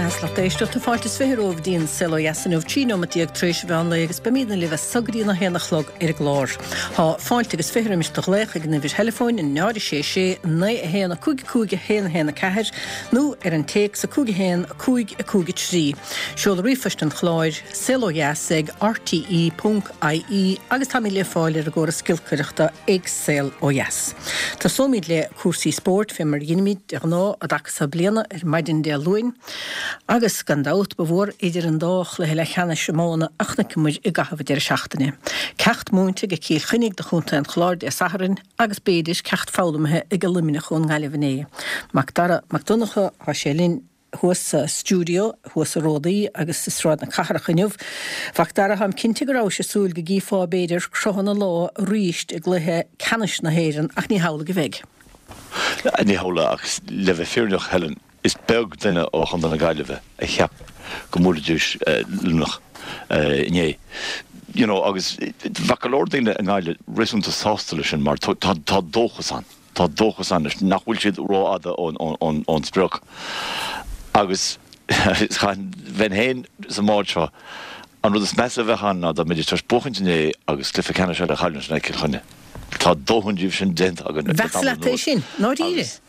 A lucht éisteachta, fáilte is 20 romhaibh dtí'n Saol Ó Dheas inniu, 13 neomat tar éis an mheán lae agus beimídne libh as so go dtí an 1 a chlog ar an gclár. Tá fáilte agus 20 roimis do ghlaoch ag an uimhir theileafóin, 0 6 6 9 1 5 5 1 1 4 nó ar an téacs 5 1 5 5 3. Seoladh ríomhphoist an chláir, saolodheas ag rte ponc ie agus táimid le fáil ar an gcóras giolcaireachta ag Saol Ó Dheas. Tosóimid le cúrsaí spóirt, fé mar a dheinimid de ghnáth an dtaca so bliana ar maidin Dé Luain. Agus, gan dabht, ba mhór idir an dá chluiche leathcheannais iomána a chonaiceamair i gcaitheamh an deireadh seachtaine. Ceacht múinte ag Cill Chainnigh do chontae an Chláir Dé Sathairn agus, b'fhéidir, ceacht foghlamtha ag Luimneach ón nGaillimh inné. Mac Dara Mac Donncha, tá sé linn. thuas sa stiúideo, thuas i Ródaí agus i Sráid na Cathrach inniu. Mhac Dara, táim cinnte go rabhais ag súil go gcífeá, b'fhéidir, cruthanna lá arís i gcluiche ceannais na hÉireann ach ní hamhlaidh a bheidh. Ní hamhlaidh ach le bheith fírinneach, Helen, is beag duine ó Chontae na Gaillimhe a cheap go mbuailfidís Luimneach inné. You know, agus bheadh go leor daoine i nGaillimh réasúnta sásta leis sin mar tá dóchas ann. Tá dóchas ann anois nach bhfuil siad rófhada ón sprioc agus bheinn féin sa mbád seo, an rud is measa a bheadh ann ná dá mbeidís tar éis buachaint inné agus cluiche ceannais eile a chailliúint in aghaidh Cill Chainnigh. Tá dóthain díobh sin déanta againn le Bheadh tamall leat é anuas sin, ndáiríre? agus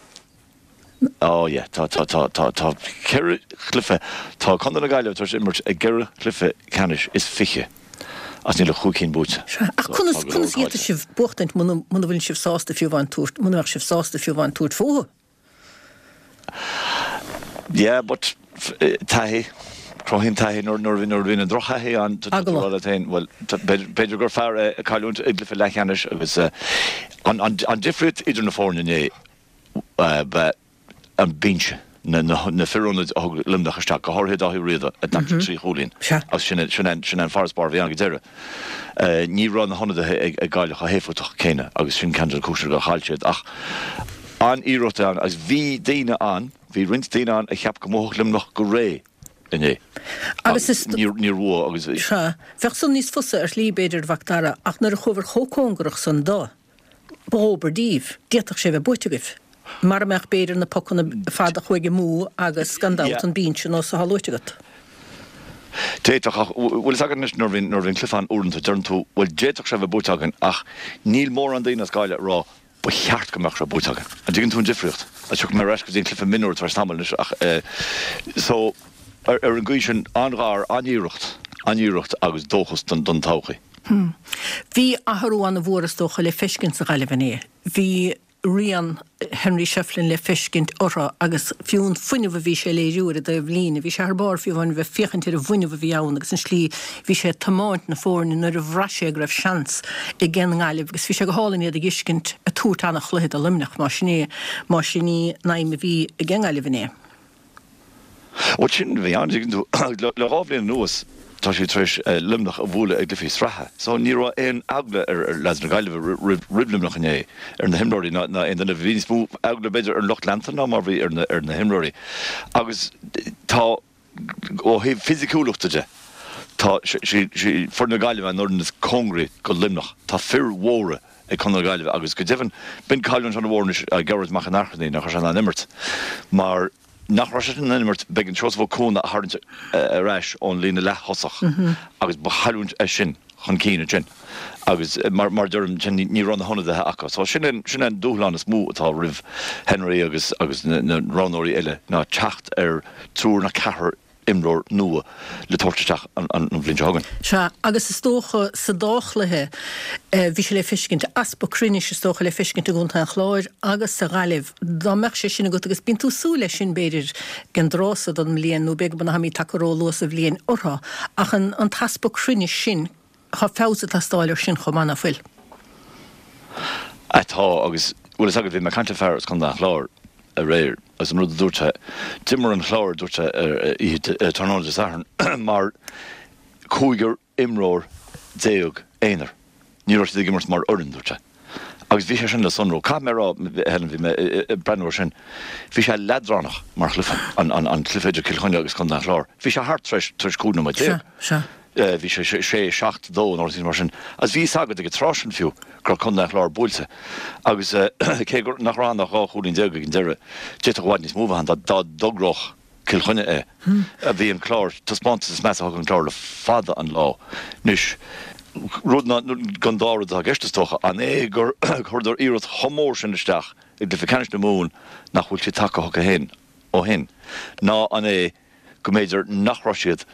Oh yeah, tá, tá, tá, tá, tá ceithre chluiche, tá Contae na Gaillimhe tar éis imirt i gceithre chluiche ceannais is 20 agus níl ach chúig cinn buaite. Sea, ach So, conas, tá go leor conas a caillte. d'fhéadfadh sibh buachtaint muna, muna bhfuil sibh sásta fiú amháin tabhairt, muna mbeadh sibh sásta fiú amháin tabhairt fúthu? Yeah, but taithí, cruthaíonn taithí nuair, nuair, nuair a bhíonn an drochthaithí ann, tá tú ag rá leat féin, bhuel, b'fhéidir gur fearr é cailliúint i gcluiche leathcheannais agus an, an, an difríocht idir na foirne inné, ba an binse, na fir ionaid a thug Luimneach isteach, go háirithe Dáithí Ó Riada, a d'aimsigh 3 chúilín agus sin sin an farasbarr a bhí ann go deireadh. Ní raibh na hionadaithe ag Gaillimh chomh héifeachtach céanna agus sin ceann de na cúiseanna gur chaill siad. Ach an-iarracht ann agus bhí daoine ann, bhí roinnt daoine ann a cheap go mbuafadh Luimneach go réidh inné Agus agus níor bhuaigh agus. Sea, bheadh san níos fusa ar shlí, b'fhéidir, a Mhac Dara, ach nuair a chuabhair chomh cóngarach san do. Ba dhóbair daoibh. D'fhéadfadh sé a bheith buaite agaibh. Mara mbeadh, b'fhéidir, na pocanna fada a chuaigh amú agus, gan dabht, an binse nós atá luaite agat. D'fhéadfadh, ach bhfuil fhios agat anois nuair a bhíonn, nuair a bhíonn cluiche ann uaireanta, deireann tú, bhuel, d'fhéadfadh sé a bheith buaite againn ach níl mórán daoine as Gaillimh ag rá, ba cheart go mbeadh sé buaite againn. An dtuigeann tú an difríocht? Agus tiocfaidh mé ar ais go dtí an cluiche mionúir tar éis tamaill anois ach eh, so, ar, ar an gcaoi sin, an-ghar, an-iarracht, an-iarracht agus dóchas don, don todhchaí. Bhí athrú an-mhór is dócha le feiscint sa Ghaillimh inné. Bhí rian Henry Shefflin le feiscint orthu agus fiú an fuinneamh a bhí sé a léiriú ar an dtaobh líne, bhí sé thar barr fiú amháin bheith féachaint ar an bhfuinneamh a bhí ann agus an slí bhí sé ag tiomáint na foirne nuair a bhraith sé go raibh seans ag an nGaillimh agus bhí sé go hálainn iad a dh'fheiscint ag tabhairt ana-chluiche do Luimneach más sin é, más sin í an aidhm a bhí ag an nGaillimh inné. Bhuel, sin a bhí ann, tuigeann tú. Le dhá bhliain anuas, tá siad tar éis Luimneach a bhualadh i gcluichí sraithe. So, ní raibh aon eagla ar leaids na Gaillimhe roimh Luimneach inné, ar na himreoirí ná aon duine. Bhí níos mó eagla, b'fhéidir, ar an lucht leanta ná mar a bhí ar na himreoirí. Agus tá, ó thaobh fisiciúlachta de, tá foireann na Gaillimhe an fhoireann is cóngaraí go Luimneach. Tá fir mhóra ag Contae na Gaillimhe agus go deimhin, b'in cailliúint an-mhór anois Gearóid Mac an Airchinnigh nach raibh sé in ann imirt mar nach raibh sé in ann imirt b'éigean Seosamh Ó Cuana a tharraingt ar ais ón líne leath-thosach agus ba chailliúint é sin chun cinn ansin agus mar mar a deirim sin ní raibh na hionadaithe acu. So sin é sin é an dúshlán is mó atá roimh Henry agus agus na na roghnóirí eile ná teacht ar triúr nó ceathrar imreoir nua le tabhairt isteach an bhliain seo chugainn. Sea, agus is dócha sa dá chluiche, bhí sé le feiscint, easpa cruinnis is dócha le feiscint i gContae an Chláir agus sa Ghaillimh. Dá mbeadh sé sin agat, agus bíonn tú ag súil leis sin, b'fhéidir, ag an dtráth so den mbliain, nó b'fhéidir go mbeidh tagtha ró-luath sa bhliain orthu, ach an t-easpa cruinnis sin, tá feabhas ag teastáil ar sin chomh maith, ná fuil? Ah tá, agus bhfuil fhios agat, bhí mé ag caint le fear as Contae an Chláir aréir agus an rud a dúirt sé, d'imir an Clár, dúirt sé, ar oíche tráthnóna Dé Sathairn mar cúigear imreoir aonair. Ní raibh siad ag imirt mar fhoireann, dúirt sé. Agus bhí sé sin le sonrú. Caithfidh mé a rá, Helen, bhí mé ag breathnú air sin, bhí sé leadránach mar chluiche, an cluiche idir Cill Chainnigh agus Contae an Chláir. Bhí sé thart tar éis 15 nóiméad. Sea, sea. Bhí sé 6, 7, 2 nó rud mar sin. Agus bhí fhios agat ag an tráth sin fiú go raibh Contae an Chláir buailte. Agus cé nach raibh ann ach 12 chúilín ag an deireadh, d'fhéadfadh i bhfad níos mó a bheith ann dá dtogródh. Cill Chainnigh é. Bhí an Clár, taispeántas is measa a thug an Clár le fada an lá. Anois, rud ná, den dá rud atá i gceist is dócha, an é gur chuireadar iarracht chomh mór sin isteach i gcluiche ceannais na Mumhan nach bhfuil siad tagtha chucu féin ó shin, ná an é go mb'fhéidir nach raibh siad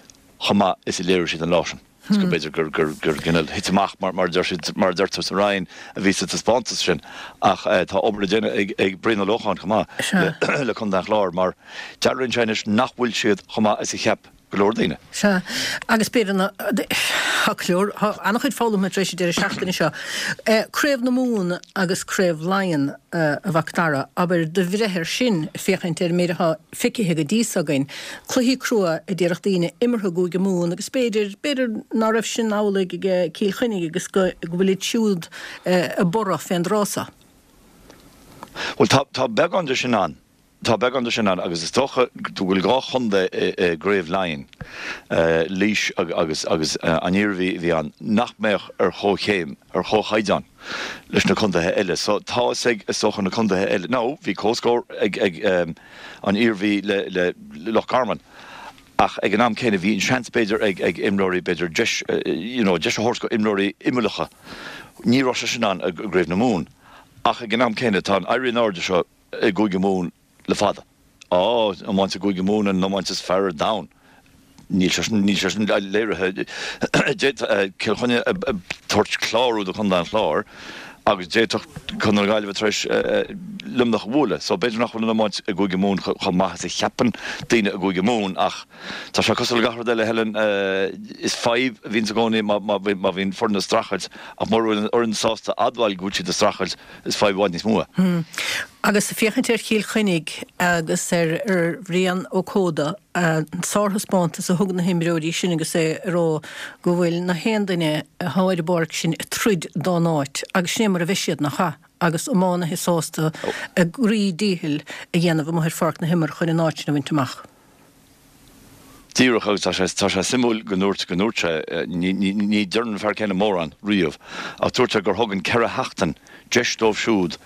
chomh maith is a léirigh siad an lá sin. Is go mb'fhéidir gur gur cineál thit amach mar mar a deir siad mar a deirtear sa Rinn a bhí sa taispeántas sin ach tá obair le déanamh ag ag Brian Ó Lócháin chomh maith le Contae an Chláir mar dealraíonn sé anois nach bhfuil siad chomh maith is a cheap go leor daoine. Sea, agus b'fhéidir na, tá go leor, tá an-chuid foghlamtha tar éis an deireadh seachtaine seo. Craobh na Mumhan agus Craobh Laighean, a Mhac Dara, abair do bhreith air sin, féachaint ar an méid atá feicthe go dtí so againn. Cluichí crua a déarfadh daoine imeartha i gCúige Mumhan agus b'fhéidir, b'fhéidir ná raibh sin amhlaidh ag Cill Chainnigh agus go bhfuilid siúd ag borradh fén dtráth so. Bhuel, tá, tá beagán de sin ann. Tá beagán de sin ann agus is dócha go bhfuil 2 chontae i gCraobh Laighean, Laois agus agus an Iarmhí a bhí ann, nach mbeadh ar chomhchéim, ar chomhchaighdeán leis na contaetha eile. So tá fhios ag, is dócha, na contaetha eile, now bhí comhscór ag ag an Iarmhí le le Loch Garman ach ag an am céanna bhí an seans b'fhéidir ag ag imreoirí b'fhéidir deis you know deis a thabhairt go imreoirí imeallacha. Ní raibh sé sin ann i gCraobh na Mumhan ach ag an am céanna tá an éirí in airde seo i gCúige Mumhan le fada. Á, iomáint i gCúige Mumhan an iomáint is fearr ar domhan. Níl sé sin, níl sé sin léirithe. D'fhéadfadh Cill Chainnigh a tabhairt clárú do Chontae an Chláir agus d'fhéadfadh Contae na Gaillimhe tar éis Luimneach a bhualadh. So b'fhéidir nach bhfuil an iomáint i gCúige Mumhan chomh maith is a cheapann daoine i gCúige Mumhan ach tá sé cosúil le gach rud eile, Helen, is fadhb a bhíonns i gcónaí má bhíonn foireann ag streachailt ach mura bhfuil an fhoireann sásta admháil go bhfuil siad ag streachailt Is fadhb i bhfad níos mó é. Agus féachaint ar Chill Chainnigh agus ar Bhrian Ó Códa, an sárthaispeántas a thug na himreoirí sin agus é ag rá go bhfuil na haon duine atá ar an bpáirc sin ag troid dá n-áit agus sin é mar a bheidh siad, nach ea? Agus iománaithe sásta a gcroí díchill a dhéanamh amuigh ar pháirc na himeartha chun an áit sin a bhaint amach. Díreach, agus tá sé, tá sé suimiúil go ndúirt, go ndúirt sé, ní, ní, ní deireann an fear céanna mórán riamh, ach dúirt sé gur thug an 4 sheachtain deis dóibh siúd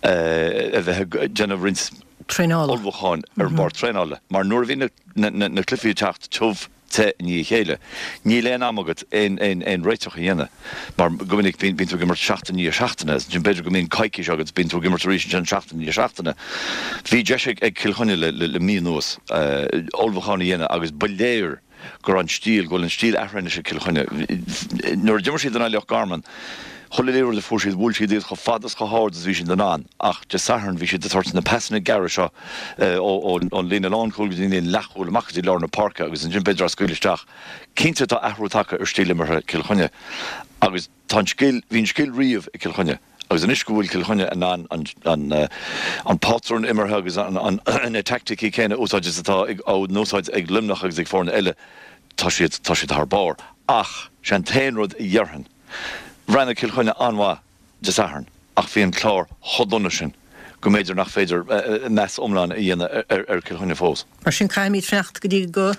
a bheith ag déanamh roinnt Traenála. ullmhúcháin ar an bpáirc traenála, mar nuair a bhí na, na, na, na cluichí ag teacht tiubh te i ndiaidh a chéile, níl aon am agat aon, aon, aon réiteach a dhéanamh. Mar go minic bíonn tú ag imirt seachtain i ndiaidh seachtaine agus ansin b'fhéidir go mbíonn coicís agat, bíonn tú ag imirt arís ansin seachtain i ndiaidh seachtaine. Bhí deis ag Cill Chainnigh le mí anuas ullmhúchán a dhéanamh agus ba léir go raibh an stíl, go bhfuil an stíl athraithe anois ag Cill Chainnigh. Nuair a d'imir siad in aghaidh Loch Garman, chuile liathróid a fuair siad, bhuail siad iad chomh fada is chomh hard is a bhí siad in ann ach Dé Sathairn bhí siad ag tabhairt na pasanna gearra seo ón líne lánchúil go dtí an líne leathchúil amach go dtí lár na páirce agus ansin b'fhéidir á scaoileadh isteach. Cinnte tá athrú tagtha ar stíl imeartha Chill Chainnigh agus tá an scil, bhí an scil riamh ag Cill Chainnigh agus anois go bhfuil Cill Chainnigh in ann an an pátrún imeartha agus an na teaicticí céanna a úsáid is atá á n-úsáid ag Luimneach agus ag foirne eile, tá siad, tá siad thar barr. Ach sé an t-aon rud a dhéarfainn, bhreathnaigh Cill Chainnigh an-mhaith Dé Sathairn ach bhí an Clár chomh dona sin go mb'fhéidir nach féidir meas iomlán a dhéanamh ar Chill Chainnigh fós. Mar sin caithfimid fanacht go dtí go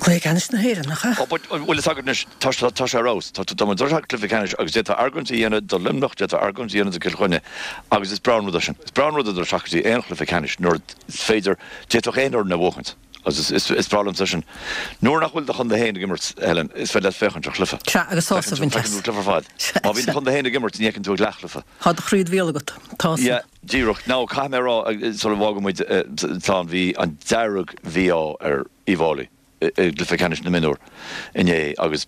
Cluiche Ceannais na hÉireann, nach ea? Ó, but, bhfuil fhios agat anois, tá sé ar fheabhas. Tá, tá muid ag dul isteach cluiche ceannais agus d'fhéadfá argóint a dhéanamh do Luimneach, d'fhéadfá argóint a dhéanamh do Chill Chainnigh agus is breá an rud é sin. Is breá an rud é dul isteach go dtí aon chluiche ceannais nuair is féidir, d'fhéadfadh aon fhoireann a bhuachaint. Agus is breá liomsa sin. Nuair nach bhfuil do chontae féin ag imirt, Helen, is féidir leat féachaint ar chluiche. Sea, agus sásamh a bhaint as. Feiceann tú cluiche ar fad. Má bhíonn do chontae féin ag imirt, ní fheiceann tú ach leathchluiche. Tá do chroí id bhéal agat. Tá san. Yeah, díreach. Now, caithfidh mé a rá, sula bhfágann muid, slán, bhí an dearg-mhí-ádh ar Uíbh Fhailí i gcluiche ceannais na mionúr inné agus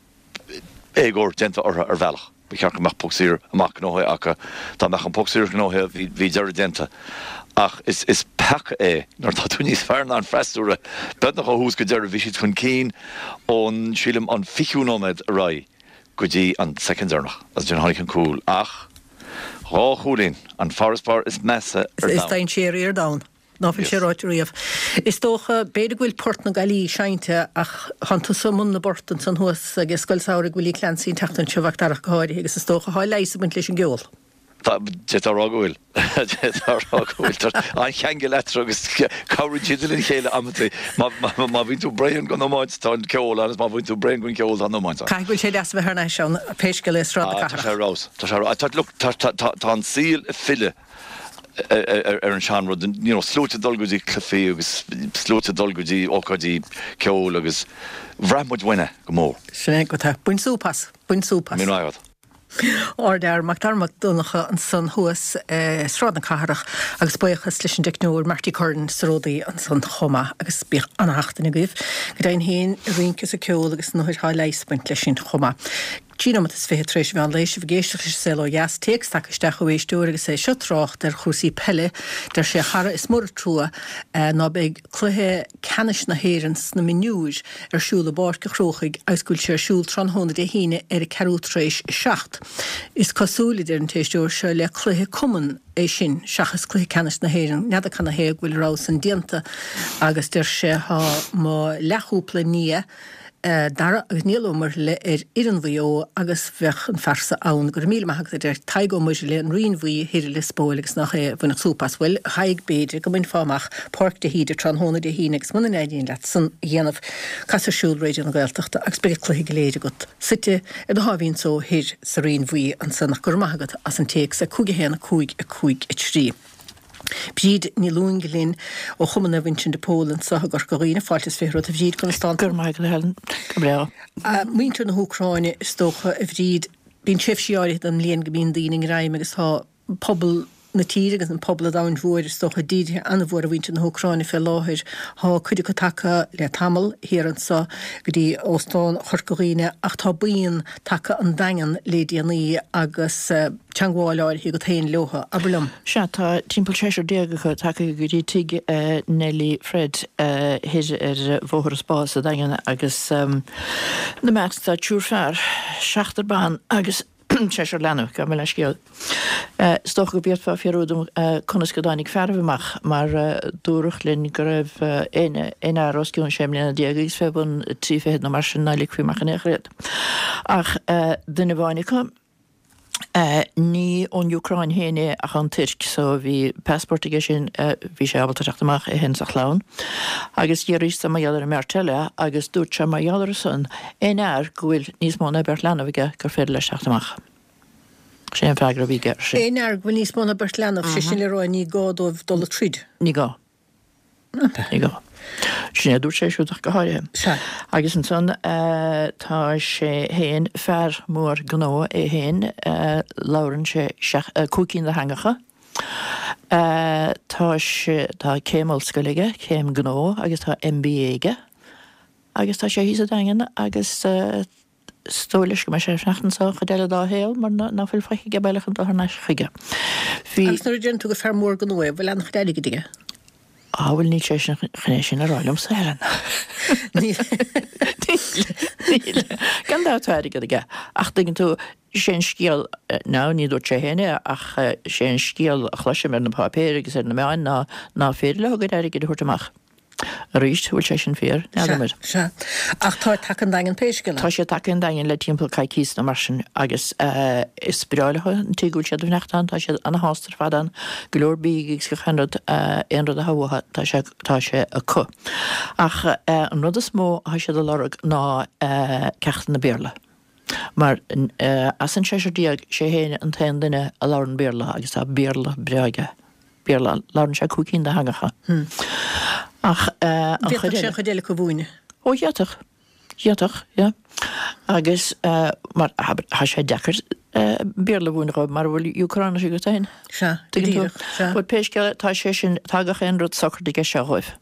éagóir déanta orthu ar bhealach. Ba cheart go mbeadh poc saor amach gnóthaithe acu. Dá mbeadh an poc saor gnóthaithe, bhí, bhí deireadh déanta. Ach is, is peaca é nuair atá tú níos fearr ná an freasúra. Beagnach ó thús go deireadh, bhí siad chun cinn ón, sílim, an fichiú nóiméad ar aghaidh go dtí an soicind deireanach. Agus ansin tháinig an cúl. Ach dhá chúilín, an farasbarr is measa ar domhan. Is dainséaraí ar domhan. Ná fuil sé ráite riamh. Is dócha, b'fhéidir go bhfuil port na Gaillí seinnte ach tánn tusa i mbun na bport ansan thuas ag Scoil Samhraidh Willie Clancy an tseachtain seo, a Mhac Dara ach go háirithe, agus is dócha thá leigheas ag baint leis an gceol. Tá, d'fhéadfá a rá go bhfuil. D'fhéadfá a rá go bhfuil. Tá an-cheangal eatarthu agus cabhraíonn siad lena chéile amantaí. Má, má, má bhíonn tú bréan den iomáint, tá an ceol ann agus má bhíonn tú bréan den cheol, tá an iomáint ann. Caithfidh go bhfuil sé deas a bheith thar n-ais ann, pé scéal é, i Sráid na Cathrach. Tá sé ar fheabhas. Tá sé ar fheabhas. Tá, look, tá, tá, tá an saol ag filleadh. Ar an seanrud, you know, sluaite ag dul go dtí cluichí agus sluaite ag dul go dtí ócáidí ceoil agus bhraith muid uainn é go mór. Sin é go tá. Bain súp as. Bain súp as. Míle maith agat. Ardfhear Mac Dara Mac Donncha ansan thuas i Sráid na Cathrach agus buíochas leis an dteicneoir Marty Curran sa ródaí ansan chomh maith agus bíodh ana-sheachtain agaibh. Go deimhin féin, ag rince is ag ceol agus an othair thá leigheas ag baint leis sin chomh maith. 13 nóimeat tar éis an mheán lae, sibh ag éisteacht leis an Saol Ó Dheas. Téacs tagtha isteach ó éisteoir agus é seo ag trácht ar chúrsaí peile. Deir sé, a chara, is mór an trua ná beidh cluiche ceannais na hÉireann sna mionúir ar siúl i bPáirc an Chrócaigh agus go bhfuil sé ar siúl tráthnóna Dé hAoine ar a ceathrú tar éis a 7. Is cosúil, a deir an t-éisteoir seo, le cluiche cumainn é sin seachas cluiche ceannais na hÉireann. N'fheadar canathaobh go bhfuil a rogha san déanta agus deir sé, tá mo leathchúpla nia, Dara agus Niall Ó Muirthile ar fhoireann Mhaigh Eo agus bheadh an fear so ann. Go raibh míle maith agat a deir Tadhg Ó Muirthile, An Rinn Bhuí thoir i Lios Póil agus nach é a bhainfeadh súp as. Bhuel, a Thaidhg, b'fhéidir go mbainfeá amach Páirc de hÍde tráthnóna Dé hAoine agus muna n-éiríonn leat san a dhéanamh, cas ar siúl Raidió na Gaeltachta agus beidh an cluiche go léir agat suite ar do sháimhín só thoir sa Rinn Bhuí ansan. Ach go raibh maith agat as an téacs. 5 1 5 5 3. Bríd Ní Lúing linn ó Chumann Naomh Uinseann de Pól anseo i gCorca Dhuibhne. Fáilte is 20 romhat a Bhríd, conas tánn tú? Go raibh maith agat a Helen, go breá. Muintir na hÚcráine is dócha a Bhríd, bíonn tréimhsí áirithe den mbliain go mbíonn daoine i ngreim agus tá pobal na tíre agus an pobal an domhain mhóir is dócha dírithe an-mhór ar mhuintir na hÚcráine fé láthair. Tá cuid acu tagtha le tamall thiar anseo go dtí Óstán Chorca Dhuibhne ach tá buíon tagtha ón Daingean le déanaí agus teangmháil áirithe agat féin leotha. Abair liom. Sea, tá timpeall seisear acu tagtha go dtí tigh Neilí Fred thoir ar Bhóthar an Spá sa Daingean agus ina measc tá triúr fear, seachtar ban agus seisear leanbh, gabh mo leithscéal. Is dócha go bhféadfá fiafraí díom conas go dtáinig fearaibh amach mar dúradh linn go raibh aon fhear os cionn sé mbliana déag agus fé bhun trí fichead nó mar sin ná ligfí amach in aon chor iad. Ach duine amháin acu, ní ón Úcráin féin é ach ón Tuirc so bhí passport aige sin, bhí sé ábalta teacht amach, é féin is a chlann. Agus d'fhiafraíos de mar gheall ar an mbeirt eile agus dúirt sé mar gheall orthu san, aon fhear go bhfuil níos mó ná beirt leanbh aige gur féidir leis teacht amach. Sin é an freagra a bhí aige air sin. Aon fhear go bhfuil níos mó ná beirt leanbh, sé sin le rá ní gá dóibh dul ag troid. Ní gá. Ní gá. Sin é a dúirt sé siúd ach go háirithe. Sea. Agus ansan tá sé féin, fear mór gnó é féin, labhrann sé cúig cinn de theangacha. Tá sé, tá céim ollscoile aige, céim gnó agus tá MBA aige. Agus tá sé thíos sa Daingean agus. Is dóigh leis go mbeidh sé ag fanacht anseo an chuid eile dá shaol mar ná fuil faic aige baile chun dul thar n-ais chuige. Bhí. Agus nuair a deireann tú gur fear mór gnó é, bhfuil an-chuid airgid aige? Á, bhuel, níl sé sin chun é sin a rá liomsa, Helen. Níl. Níl. Gan dabht tá airgead aige. Ach tuigeann tú, sé an scéal, now ní dúirt sé féin é, ach sé an scéal a chloisim ar na páipéir agus ar na meáin ná ná féidir leo a gcuid airgid a thabhairt amach. Arís, bhfuil sé sin fíor? N'fheadar. Sea, sea. Ach tá tagtha 'on Daingean pé scéal é. Tá siad tagtha 'on Daingean le timpeall coicíos nó mar sin agus is breá leo an tigh go bhfuil siad ag fanacht ann, tá siad ana-shásta ar fad ann, go leor bídh agus gach aon rud, aon rud atá uathu, tá sé, tá sé acu. Ach an rud is mó atá siad a lorg ná ceachtanna Béarla. Mar as an seisear déag, sé féin an t-aon duine a labhrann Béarla agus tá Béarla breá aige. Béarla, labhrann sé cúig cinn de theangacha. Ach an chuid eile. D'fhéadfadh sé an chuid eile acu a mhúineadh. Ó d'fhéadfadh. D'fhéadfadh, yeah. Agus mar, abair, tá sé deacair Béarla a mhúineadh dhóibh mara bhfuil Úcráinis agat féin. Sea, go díreach, sea. But pé scéal é, tá sé sin, tá gach aon rud socair aige seo dhóibh.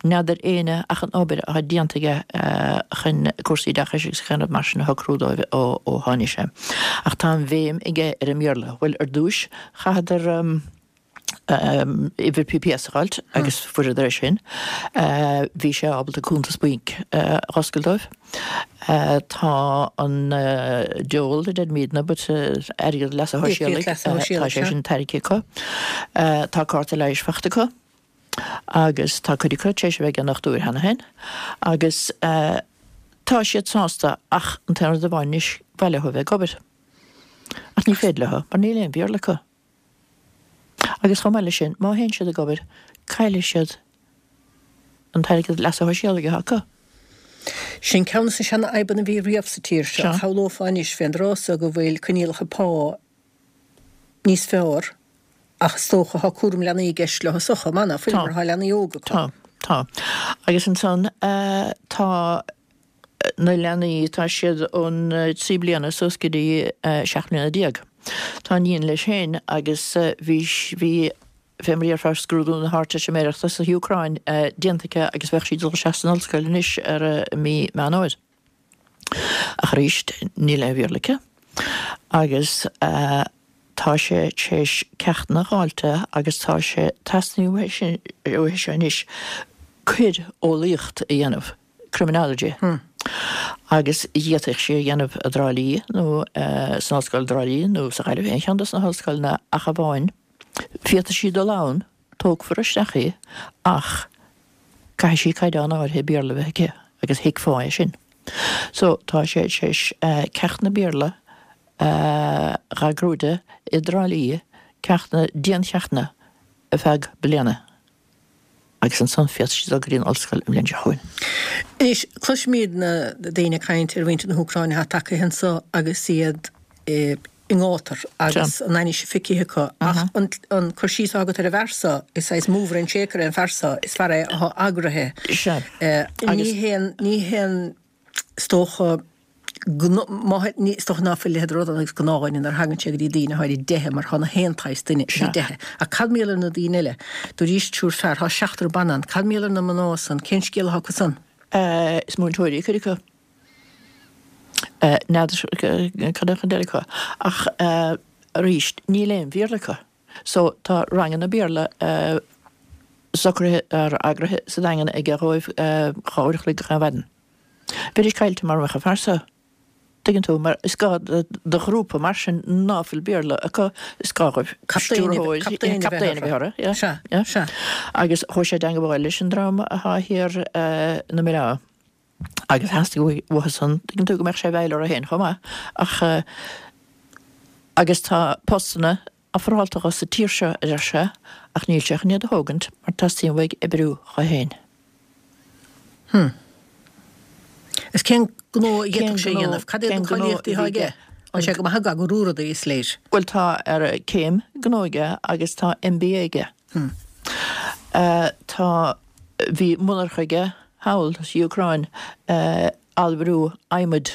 N'fheadar éinne ach an obair atá déanta aige chun cúrsaí oideachais agus gach aon rud mar sin a shocrú dóibh ó tháinig sé. Ach tá an bhéim aige ar an mBéarla. Bhuel, ar dtúis, chaitheadar uimhir PPS a dh'fháilt agus fuaireadar é sin. Bhí sé ábalta cuntas bainc a dh'oscailt dóibh. Tá an dole, a deirimidne, but airgead leasa shóisialaigh, tá sé sin tairgthe acu. Tá cárta leighis faighte acu. agus tá cuid acu tar éis a bheith ag an ndochtúir cheana féin agus tá siad sásta ach an t-aon rud amháin anois, ba mhaith leo a bheith ag obair. Ach ní féidir leo mar níl aon Bhéarla acu. Agus chomh maith leis sin, má théann siad ag obair, caillfidh siad an t-airgead leasa shóisialaigh atá acu. Sin ceann de na seanfhadhbanna a bhí riamh sa tír seo. Shamhlófá anois fén dtráth so go bhfuil coinníollacha pá níos fearr. Ach is dócha, tá cúram leanaí i gceist leo chomh maith, ná fuil, mar tá leanaí óga acu. Tá, tá. Agus ansan tá na leanaí, tá siad ón 3 bliana suas go dtí 17 mbliana. Tá iníon leis féin agus bhí, bhí, fé mar a déarfá, scrúdú na hArdteistiméireachta sa Úcráin déanta aici agus bheadh sí ag dul isteach san ollscoil anois ar mí Meán Fhómhair. Ach arís, níl aon Bhéarla aici agus tá sé tar éis ceachtanna a dh'fháilt agus tá sé, teastaíonn uaithi seo anois coir-eolaíocht a dhéanamh, criminology, agus d'fhéadfadh sí a dhéanamh i dTrá Lí nó san Ollscoil i dTrá Lí nó sa Ghaillimh, aon cheann dos na hollscoileanna ach amháin féadfaidh sí dul ann, tógfar isteach í ach caithfidh sí caighdeán áirithe Béarla a bheith aici agus thuigfeá é sin. So tá sé tar éis ceachtanna Béarla a dh'eagrú di i dTrá Lí, ceachtanna, diancheachtanna ar feadh bliana agus ansan féadfaidh sí dul go dtí an ollscoil an bhliain seo chugainn. Anois, cloisimid na daoine ag caint ar mhuintir na hÚcráine atá tagtha anso agus iad i ngátar agus an ainnise feicthe acu ach an cur síos atá agat ar an bhfear so, is saghas mover and shaker é an fear so, is fear é atá eagraithe. Ní haon, ní haon, is dócha, is dócha ná fuil a leithéid de rud ann agus gnáthdhuine nuair a thagann sé go dtí daoine atá ar a dteitheadh mar tá na haon tsaghas duine ar a dteitheadh. Ach cad mar gheall ar na daoine eile? Dúraís triúr fear, tá seachtar ban ann. Cad mar gheall ar na mná san? Cén scéal atá acu san? Is múinteoirí cuid acu. N'fheadar cad é an chuid eile acu. Ach arís, níl aon Bhéarla acu. So tá ranganna Béarla socraithe, eagraithe sa Daingean aige dhóibh 2 uair a chloig gach aon mhaidin. Bheidís caillte mara mbeadh an fear so. Tuigeann tú, mar is gá do ghrúpa mar sin ná fuil Béarla acu, is gá dhóibh stiúrthóir, captaen a bheith orthu. Sea, sea. Agus chuaigh sé i dteangabháil leis an dream atá thiar ina mBaile Átha. Agus theastaigh uathu san, tuigeann tú, go mbeadh sé i bhfeighil orthu féin chomh maith. Ach, agus tá postanna ofrálta dho sa tír seo, a deir sé, ach níl sé chun iad a thógaint mar teastaíonn uaidh oibriú dho féin. Hm. Is cén gnó a d'fhéadfadh sé a dhéanamh? Cad iad na cáilíochtaí atá aige? Tá sé go maith ag eagrú rudaí, is léir. Bhuel, tá ar céim gnó aige agus tá MBA aige. Hm. Tá, bhí monarcha aige thall sa Úcráin, allmhairiú adhmaid.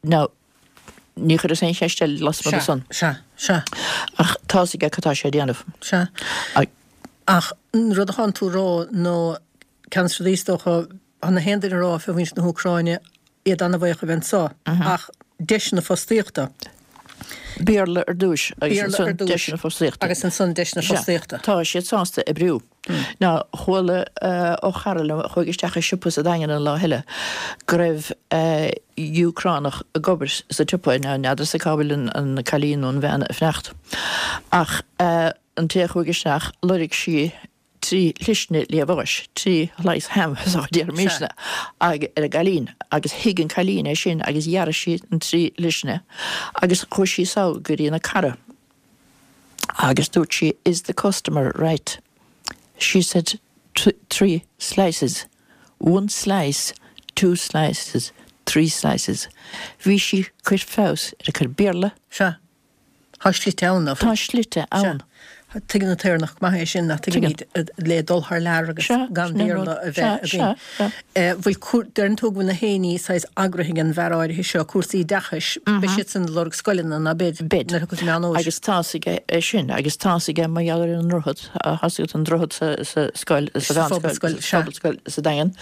Now, ní chuireas aon cheist eile lasmuigh de san. Sea, sea. Ach tá's aige cad tá sé a dhéanamh. Sea. Ach an rud atánn tú a rá nó ceann de na rudaí is dócha, tá na haon duine a rá fé mhuintir na hÚcráine, iad an-bhuíoch a bheith anso, ach deiseanna fostaíochta. Béarla ar dtúis agus ansan deiseanna fostaíochta. Agus ansan deiseanna fostaíochta. Tá siad sásta oibriú. Now, chuala ó chara liom a chuaigh isteach i siopa sa Daingean an lá eile go raibh Úcránach ag obair sa tsiopa, now n'fheadarsa cá bhfuil an cailín nó an bhean ag fanacht, ach an té a chuaigh isteach, loirg sí 3 shlisne liamháis, 3 slice ham is a déarfaimisne, ar an gcailín agus thuig an cailín é sin agus ghearr sí an 3 shlisne agus chuaigh sí sall go dtí an cara agus dúirt sí is the customer right? She said 3 slices, one slice, two slices, 3 slices. Bhí sí ag cur feabhas ar a cuid Béarla. Sea. Tá slite ann, ná fuil? Tá slite ann. Sea. Tuigeann an tÉireannach go maith é sin, nach tuigimid, le dul thar lear agus gan Béarla a bheith againn. Bhfuil, deireann tú go bhfuil na héinní saghas eagraithe ag an bhfear áirithe seo, cúrsaí oideachais, beidh siad san ag lorg scoileanna, ná beidh, Beidh. nuair a thiocfas Meán Fhómhair. Agus tá's aige é sin, agus tá's aige mar gheall ar an ndroichead, tá's agat an droichead sa scoil, sa mheánscoil, sa phobalscoil sa Daingean,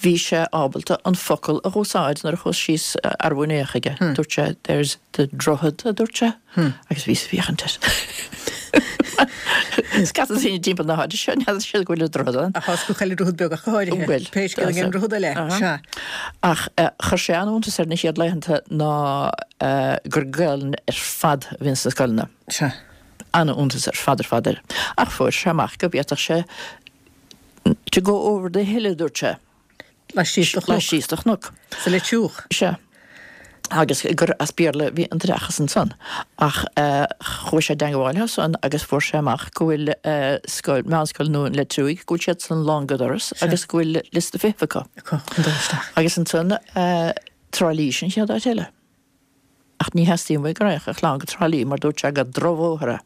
bhí sé ábalta an focal a dh'úsáid nuair a chuas síos arú inné chuige, dúirt sé, there's The droichead, a dúirt sé, agus bhíos ag féachaint air. Scata daoine timpeall na háite seo, n'fheadar siad go bhfuil an droichead ann. Ach tá go chuile droichead beag ach go háirithe. Bhuel, Pé scéal é an droichead eile, sea. Ach chuir sé an-iontas air na chéad laethanta ná gur Gaelainn ar fad a bhíonn sna scoileanna. Sea. An-iontas ar fad ar fad air. Ach fuair sé amach go bhféadfadh sé to go over the hill, a dúirt sé. Laistíos de chnoc. Laistíos de chnoc. Sa Leitriúch. Sea. Agus gur as Béarla a bhí an t-oideachas ansan. Ach chuaigh sé i dteangabháil leo san agus fuair sé amach go bhfuil scoil, meánscoil nua an Leitriúigh, go bhfuil siad san lán go doras agus go bhfuil liosta feithimh acu. Acu chun dul isteach. Agus ansan Trá Lí sin an chéad áit eile. Ach ní theastaíonn uaidh go raghadh a chlann go Trá Lí mar dúirt sé gur drochbhóthar é.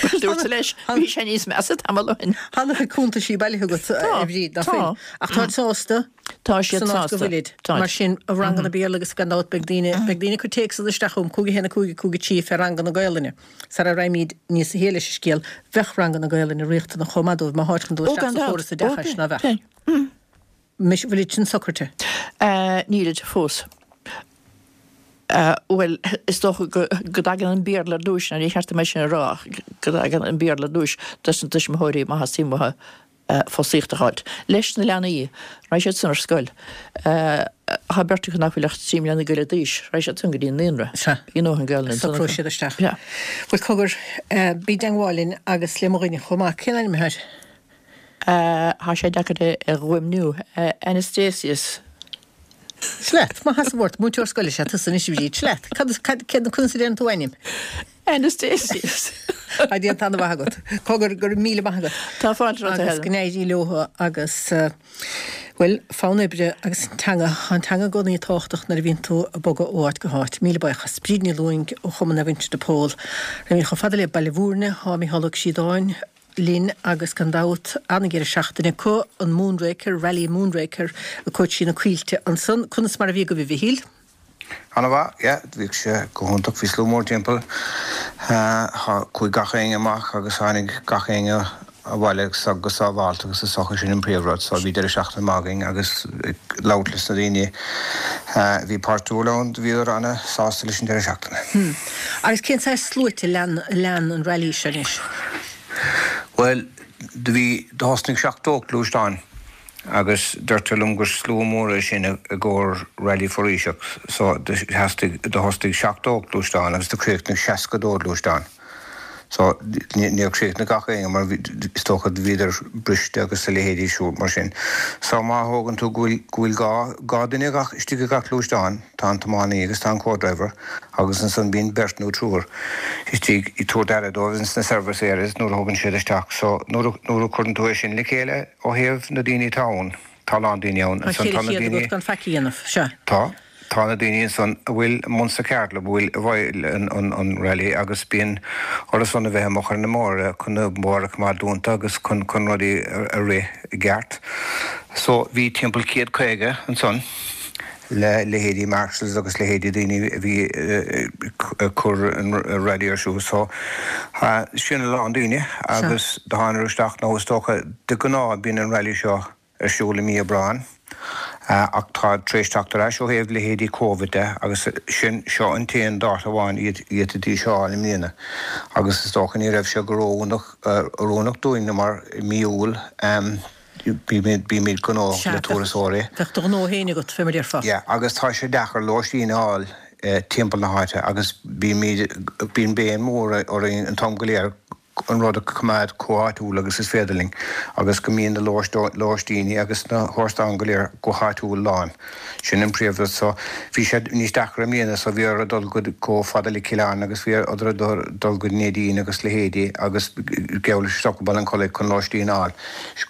Bhuel, dúirt leis, bhí sé níos measa tamall ó shin. Tá ana chuid cuntaisí bailithe agat, a Bhríd, ná fuil? Ach táid sásta? Tá siad san áit go sásta. bhfuilid. Táid. Mar sin, ranganna Béarla agus gan dabht beidh daoine, beidh daoine ag cur téacsanna isteach chugam, 5 1 5 5 3 fé ranganna Gaelainne. Sara raghaimid níos sia leis an scéal, bheadh ranganna Gaelainne riachtanach chomh maith dóibh má tháid chun dul Ó, isteach gan sa dabht. chóras Ó, oideachais, ná bheadh? Mise, bhfuilid sin socraithe? Nílid fós. Bhuel, is dócha go dtagann an Béarla ar dtúis, nó ní cheart dom é sin a rá, ach go dtagann an Béarla ar dtúis dos na tuismitheoirí má theastaíonn uathu fostaíocht a fháilt. Leis na leanaí, raghaidh siad san ar scoil. Tá beirt acu nach bhfuil ach 3 mbliana go leith d'aois, raghaidh siad san go dtí an naíonra. Sea. Bhí a ndóthain Gaelainne ansan acu. Socróidh siad isteach. Sea. Bhuel, cogar, bí i dteangmháil linn agus le mo dhuine chomh maith. Cén ainm atá air? Tá sé deacair é a fhuaimniú. Anastasius. Sea leat, maith as an bhfort, múinteoir scoile is ea tusa anois a Bhríd. Sea leat, cad is, cad, céard, conas a deireann tú ainm? Anastasius. Tá déanta an-mhaith agat. Cogar, go raibh míle maith agat. Tá fáilte romhat, a Agus Helen. go n-éirí leo agus, bhuel, fonn oibre agus an teanga, tá an teanga i gcónaí tábhachtach nuair a bhíonn tú ag bogadh ó áit go háit. Míle buíochas. Bríd Ní Lúing ó Chumann Naomh Uinseann de Pól. Raghaimid chomh fada le Baile Bhúirne, tá Mícheál Ó Críodáin, linn agus gan dabht an-dheireadh seachtaine acu, an Moonraker, Rally Moonraker ag cuairt trí na coillte ansan. Conas mar a bhí agaibh a Mhichíl? Ana-mhaith, yeah, bhí sé go hiontach, bhí slua mór timpeall, chuaigh gach éinne amach agus tháinig gach éinne abhaile go sábhálta agus is dócha sin an príomhrud, so bhí deireadh seachtaine maith againn agus ag labhairt leis na daoine a bhí páirtiúil ann, bhíodar ana-sásta leis an deireadh seachtaine. Hmm. Agus cén saghas sluaite a lean, a lean an rally seo anois? Bhuel, do bhí, do thosnaigh 70 gluaisteán agus deirtear liom gur slua mór é sin i gcomhair rally foraoiseach so do theastaigh, do thosnaigh 70 gluaisteán agus do chríochnaigh 62 gluaisteán. So níor chríochnaigh gach éinne mar bhí, is dócha bhíodar briste agus a leithéidí siúd mar sin. So má thógann tú go bhfuil, go bhfuil 2, 2 duine gach, istigh i gach gluaisteán, tá an tiománaí agus tá an co-driver agus ansan bíonn beirt nó triúr istigh ag tabhairt aire dóibh ins na service areas nuair a thugann siad isteach. So nuair a, nuair a chuireann tú é sin le chéile ó thaobh na daoine atá ann, tá a lán daoine ann. Tá Ansan tá na 400 daoine. agat gan faic a dhéanamh, sea. Tá. Tá na daoine ansan a bhfuil i mbun sa cheardlann, a bhfuil i bhfeighil an rally agus bíonn orthu san a bheith amuigh ar na mbóithre chun na bóithre a choimeád dúnta agus chun chun rudaí a rith i gceart. So bhí timpeall 150 ansan le leithéidí marshals agus leithéidí daoine a bhí ag cur an rally ar siúl. So sin a lán daoine agus do thánadar isteach nó is dócha de ghnáth bíonn an rally seo ar siúl i mí Aibreáin, ach tá tar éis teacht ar ais ó thaobh leithéidí Covid de agus sin, seo an t-aon dáta amháin a d'fhéadfaidís a fháil i mbliana agus is dócha ní raibh sé go ró-oiriúnach dúinn mar i mí Iúil bímid gnóthach le turasóirí. Bheadh do ghnó féin agat, fé mar déarfá. Yeah, agus tá sé deacair lóistín a fháil timpeall na háite agus bímid, bíonn béim mhór orainn an t-am go léir an rud a choimeád chomh háitiúil agus is féidir linn agus go mbíonn na lóistíní agus na hóstáin go léir go háitiúil lán. Sin an príomhrud. So, bhí sé níos deacra i mbliana so bhí orthu dul go chomh fada le Cill Airne agus bhí orthu dul go Neidín agus leithéidí agus geall leis isteach go Ballincollig chun lóistín a fháil.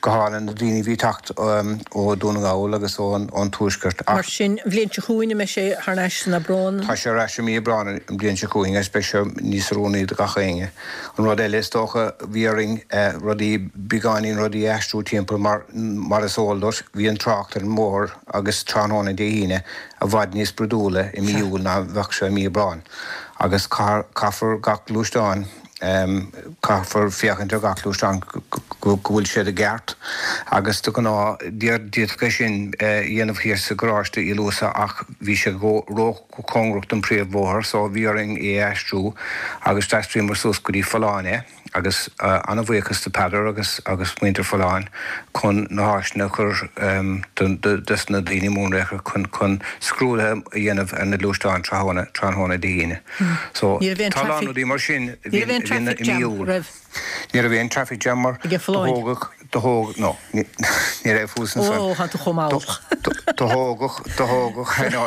Go háirithe na daoine a bhí ag teacht ó Dún na nGall agus ón Tuaisceart ach. Mar sin, an bhliain seo chugainn, an mbeidh sé thar n-ais san Aibreán? Tá sé ar ais i mí Aibreán an bhliain seo chugainn agus beidh sé níos oiriúnaí do gach éinne. An rud eile, is dócha, bhí orainn rudaí, beagáinín rudaí a aistriú timpeall mar, mar is eol duit, bhí an trácht ar an mbóthar agus tráthnóna Dé hAoine i bhfad níos brúidiúla i mí Iúil ná a bheadh sé i mí Aibreáin agus caithfear gach gluaisteán, caithfear féachaint ar gach gluaisteán go bhfuil siad i gceart agus de ghnáth d'fhéadfadh é sin a dhéanamh thiar sa gharáiste Uí Luasa ach bhí sé ró chóngarach don phríomhbhóthar so bhí orainn é a aistriú agus d'aistríomar suas go dtí Folláin é agus an-bhuíochas do Peadar agus agus muintir Folláin chun na háiseanna a chur dos na daoine Moonraker chun chun scrúduithe a dhéanamh ar na gluaisteáin tráthnóna tráthnóna Dé hAoine. So Ní raibh aon tá a lán traffic rudaí mar sin a Ní raibh bhíonn aon a bhíonn traffic i mí jam Iúil. raibh? Ní raibh aon traffic jam mar Ag do thógadh, do thóg, no, ní raibh fós ansan. Ó, tá tú chomh mall. Do thógadh, do thógadh, I know,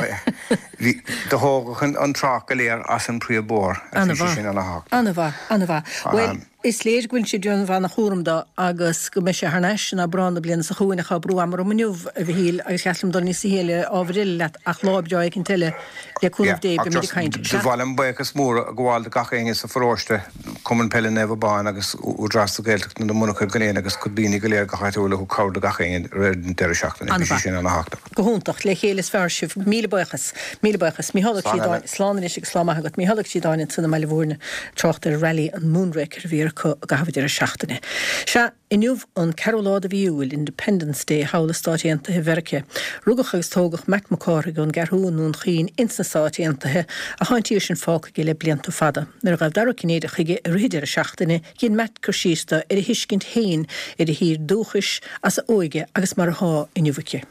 bhí, do thógadh an trácht go léir as an príomhbhóthar agus bhí sé sin ana-thábhachtach. Ana-mhaith, ana-mhaith. Bhuel, is léir go bhfuil sibh ag déanamh ana-chúram dó agus go mbeidh sé thar n-ais in Aibreán na bliana seo chugainn ach tá brú ama orm inniu, a Mhichíl, agus cheart liom dul níos sia le ábhar eile leat ach lá breá éicint eile, le cúnamh Dé, beimid ag caint. Ba mhaith liom buíochas mór a ghabháil do gach éinne sa pharóiste. Cumann Peile Naomh Abán agus Údarás na Gaeltachta na monarcha go léir agus daoine go léir go háitiúil a thug cabhair do gach éinne i rith an deireadh seachtaine. Bhí sé sin ana-thábhachtach. Go hiontach. Le chéile is fearr sibh. Míle buíochas. Míle buíochas. Mícheál Ó Críodáin, slán anois agus lá maith agat. Mícheál Ó Críodáin ansan i mBaile Mhúirne ag trácht ar Rally an Moonraker a bhí acu i gcaitheamh an deireadh seachtaine. Sea, inniu an ceathrú lá de mhí Iúil, Independence Day thall i Stáit Aontaithe Mheirice. Rugadh agus tógadh Matt Mac Cárthaigh ón gCeathrú i nDún Chaoin ins na Stáit Aontaithe, ach tá an tír sin fágtha aige le blianta fada. Nuair a ghabh Dara Ó Cinnéide chuige i rith an deireadh seachtaine, dhein Matt cur síos do ar a thuiscint féin ar a thír dúchais, as a óige agus mar athá inniu aici.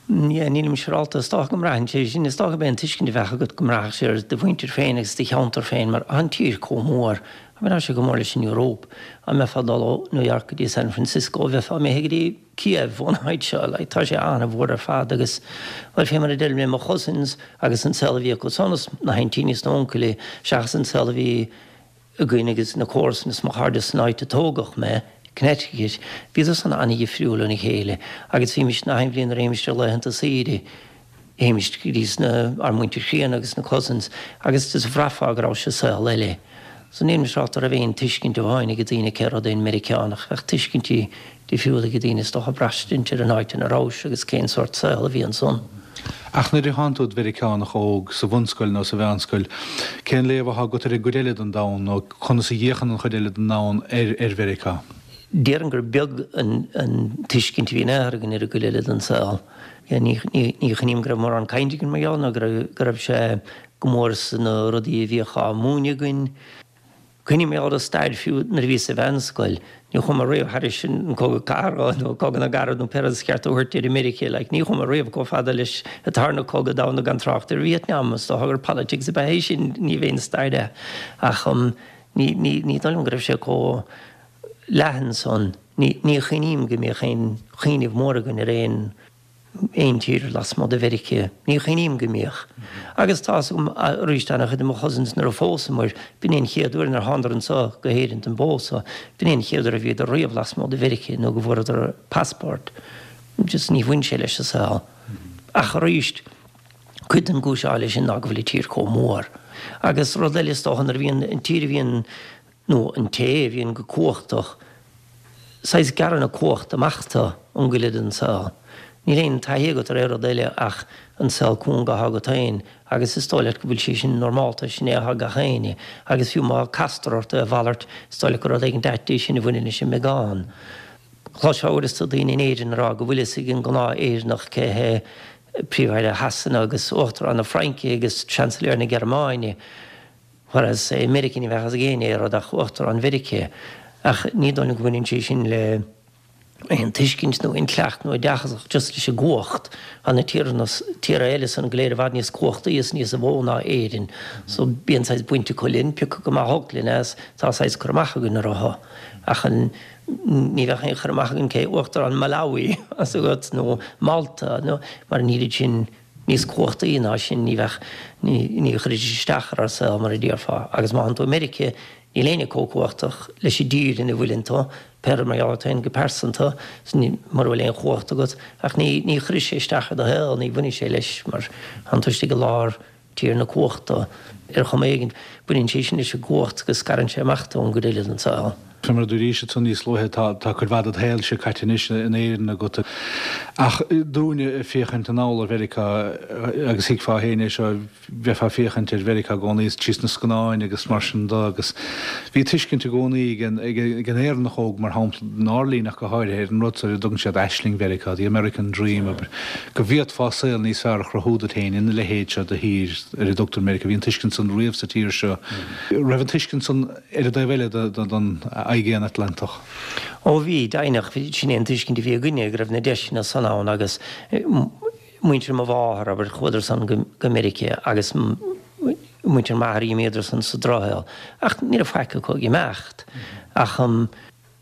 Yeah, nílim siúrálta. Is dócha go mbraitheann sé sin, is dócha gurb é an tuiscint a bheadh agat go mbraithfeadh sé ar do mhuintir féin agus do cheantar féin mar tá an tír chomh mór. I mean, tá sé chomh mór leis an Eoraip. Dá mbeifeá ag dul ó New York go dtí San Francisco, bheifeá imithe go dtí Kiev ón áit seo. Like, tá sé an-mhór ar fad agus, bhuel, fé mar a deirim le mo chousins agus an saol a bhí acu san is na haintíní is na uncailí seachas an saol a bhí againn agus na comharsana is mo chairde san áit a tógadh mé, Connecticut, bhíodar san an-dhifriúil óna chéile agus bhímis na haon bhliain nuair a théimis ar laethanta saoire, théimis go dtí sna, ár muintir chríonna agus na cousins agus just bhraithfeá go raibh sé saol eile. So nílim siúrálta raibh aon tuiscint amháin ag daoine cé rud é an Meiriceánach, bheadh tuiscintí difriúla ag daoine is dócha braistint ar an áit ina rabhais agus cén sórt saol a bhí ansan. Ach nuair a thánn tú id Mheiriceánach óg sa bhunscoil nó sa mheánscoil, cén léamh athá agat ar an gcuid eile den domhan nó conas a fhéachann an chuid eile den domhan ar ar Mheiriceá? Déarfainn gur beag an tuiscint a bhí in aon chor againn ar an gcuid eile den saol. Ní chuimhním go raibh mórán cainte againn mar gheall nó go raibh sé go mór sna rudaí a bhíodh á múineadh againn. Cuimhním ar an stair fiú nuair a bhíos sa mheánscoil, ní chuaigh mé riamh thairis an Cogadh Cathartha nó Cogadh na gCarad nó pé rud is ceart a thabhairt ar Meiriceá, like, ní chuaigh mé riamh chomh fada leis an tarna cogadh domhanda gan trácht ar Vietnam, is dócha gur politics ab ea é sin, ní bheinn stair é. Ach um, ní, ní, ní dóigh liom go raibh sé chomh leathan san. Ní, ní chuimhním go mbíodh aon chuimhneamh mór againn ar aon aon tír lasmuigh de Mheiriceá. Ní chuimhním go mbíodh. Agus tá fhios agam arís an-chuid de mo chousins nuair a phósamar, b'in é an chéad uair nuair a thánadar anseo go hÉirinn don bpósadh, b'in é an chéad uair a bhíodar riamh lasmuigh de Mheiriceá nó go bhfuaireadar passport. Just ní bhain sé leis an saol. Ach arís, cuid den gcúis atá leis sin ná go bhfuil an tír chomh mór. Agus rud eile is dócha nuair a bhíonn an tír a bhíonn nó an té a bhíonn go cumhachtach, saghas gearrann a cumhacht amach tú ón gcuid eile den saol. Níl aon taithí agat ar aon rud eile ach an saol cúng atá agat féin agus is dóigh leat go bhfuil sé sin normálta, sin é atá ag gach éinne agus fiú má castar ort é a mhalairt, is dóigh leat gur rud éigin ait é sin a bhaineann leis an mbeagán. Chloisfeá uaireanta daoine in Éirinn ag rá go bhfuil fhios ag an gnáth-Éireannach cé hé Príomh-Aire Shasana agus Uachtarán na Fraince agus Seansailéir na Gearmáine. Whereas i Meiriceá ní bheadh fhios ag éinne aon rud ach Uachtarán Mheiriceá. Ach ní dóigh liom go mbaineann sé sin le aon tuiscint nó intleacht nó oideachas ach just leis an gcumhacht. Tá na tíortha tíortha eile san go léir i bhfad níos cumhachtaí is níos mó ná Éirinn. So bíonn saghas baint acu linn, pé acu go maith olc linn as, tá saghas cur amach againn orthu. Ach an ní bheadh aon chur amach againn cé Uachtarán Malawi as agat nó Malta nó mar níl iad sin níos cumhachtaí ná sin, ní bheadh, ní chuirfidís isteach ar ár saol mar a déarfá. Agus má thánn tú i Meiriceá, níl éinne chomh cumhachtach leis an dtír ina bhfuileann tú, pé rud mar gheall ort féin go pearsanta, mura bhfuil aon chumhacht agat, ach ní, ní chuirfidh sé isteach ar do shaol, ní bhainfidh sé leis mar thánn tú istigh i lár tír na cumhachta ar chuma éigin. Baineann sé sin leis an gcumhacht go scarann sé amach tú ón gcuid eile den saol. Fé mar a dúraís ansan níos luaithe, tá tá cuid mhaith ded shaolse caite anois in Éirinn agat. Ach dúinne ag féachaint anall ar Mheiriceá, agus thuigfeá féin é seo, bheifeá ag féachaint ar Mheiriceá i gcónaí trí sna scannáin agus mar sin de agus bhí tuiscint i gcónaí ag an ag an Éireannach óg, mar shampla, inár linn ach go háirithe, ar an rud seo ar a dtugann siad aisling Mheiriceá, the American Dream, abair, go bhféadfá saol níos fearr a chruthú duit féin ina leithéid seo de thír ar a dtugtar Meiriceá. Bhí an tuiscint san riamh sa tír seo. Raibh an tuiscint san ar an dtaobh eile den Aigéan Atlantach? Ó bhí, deimhneach. Sin é an tuiscint a bhí againne, go raibh na deiseanna san ann agus muintir mo mháthar, abair, chuadar san go Meiriceá agus muintir m'athar d'imíodar san sa drochshaol. Ach ní raibh faic acu ag imeacht. Ach.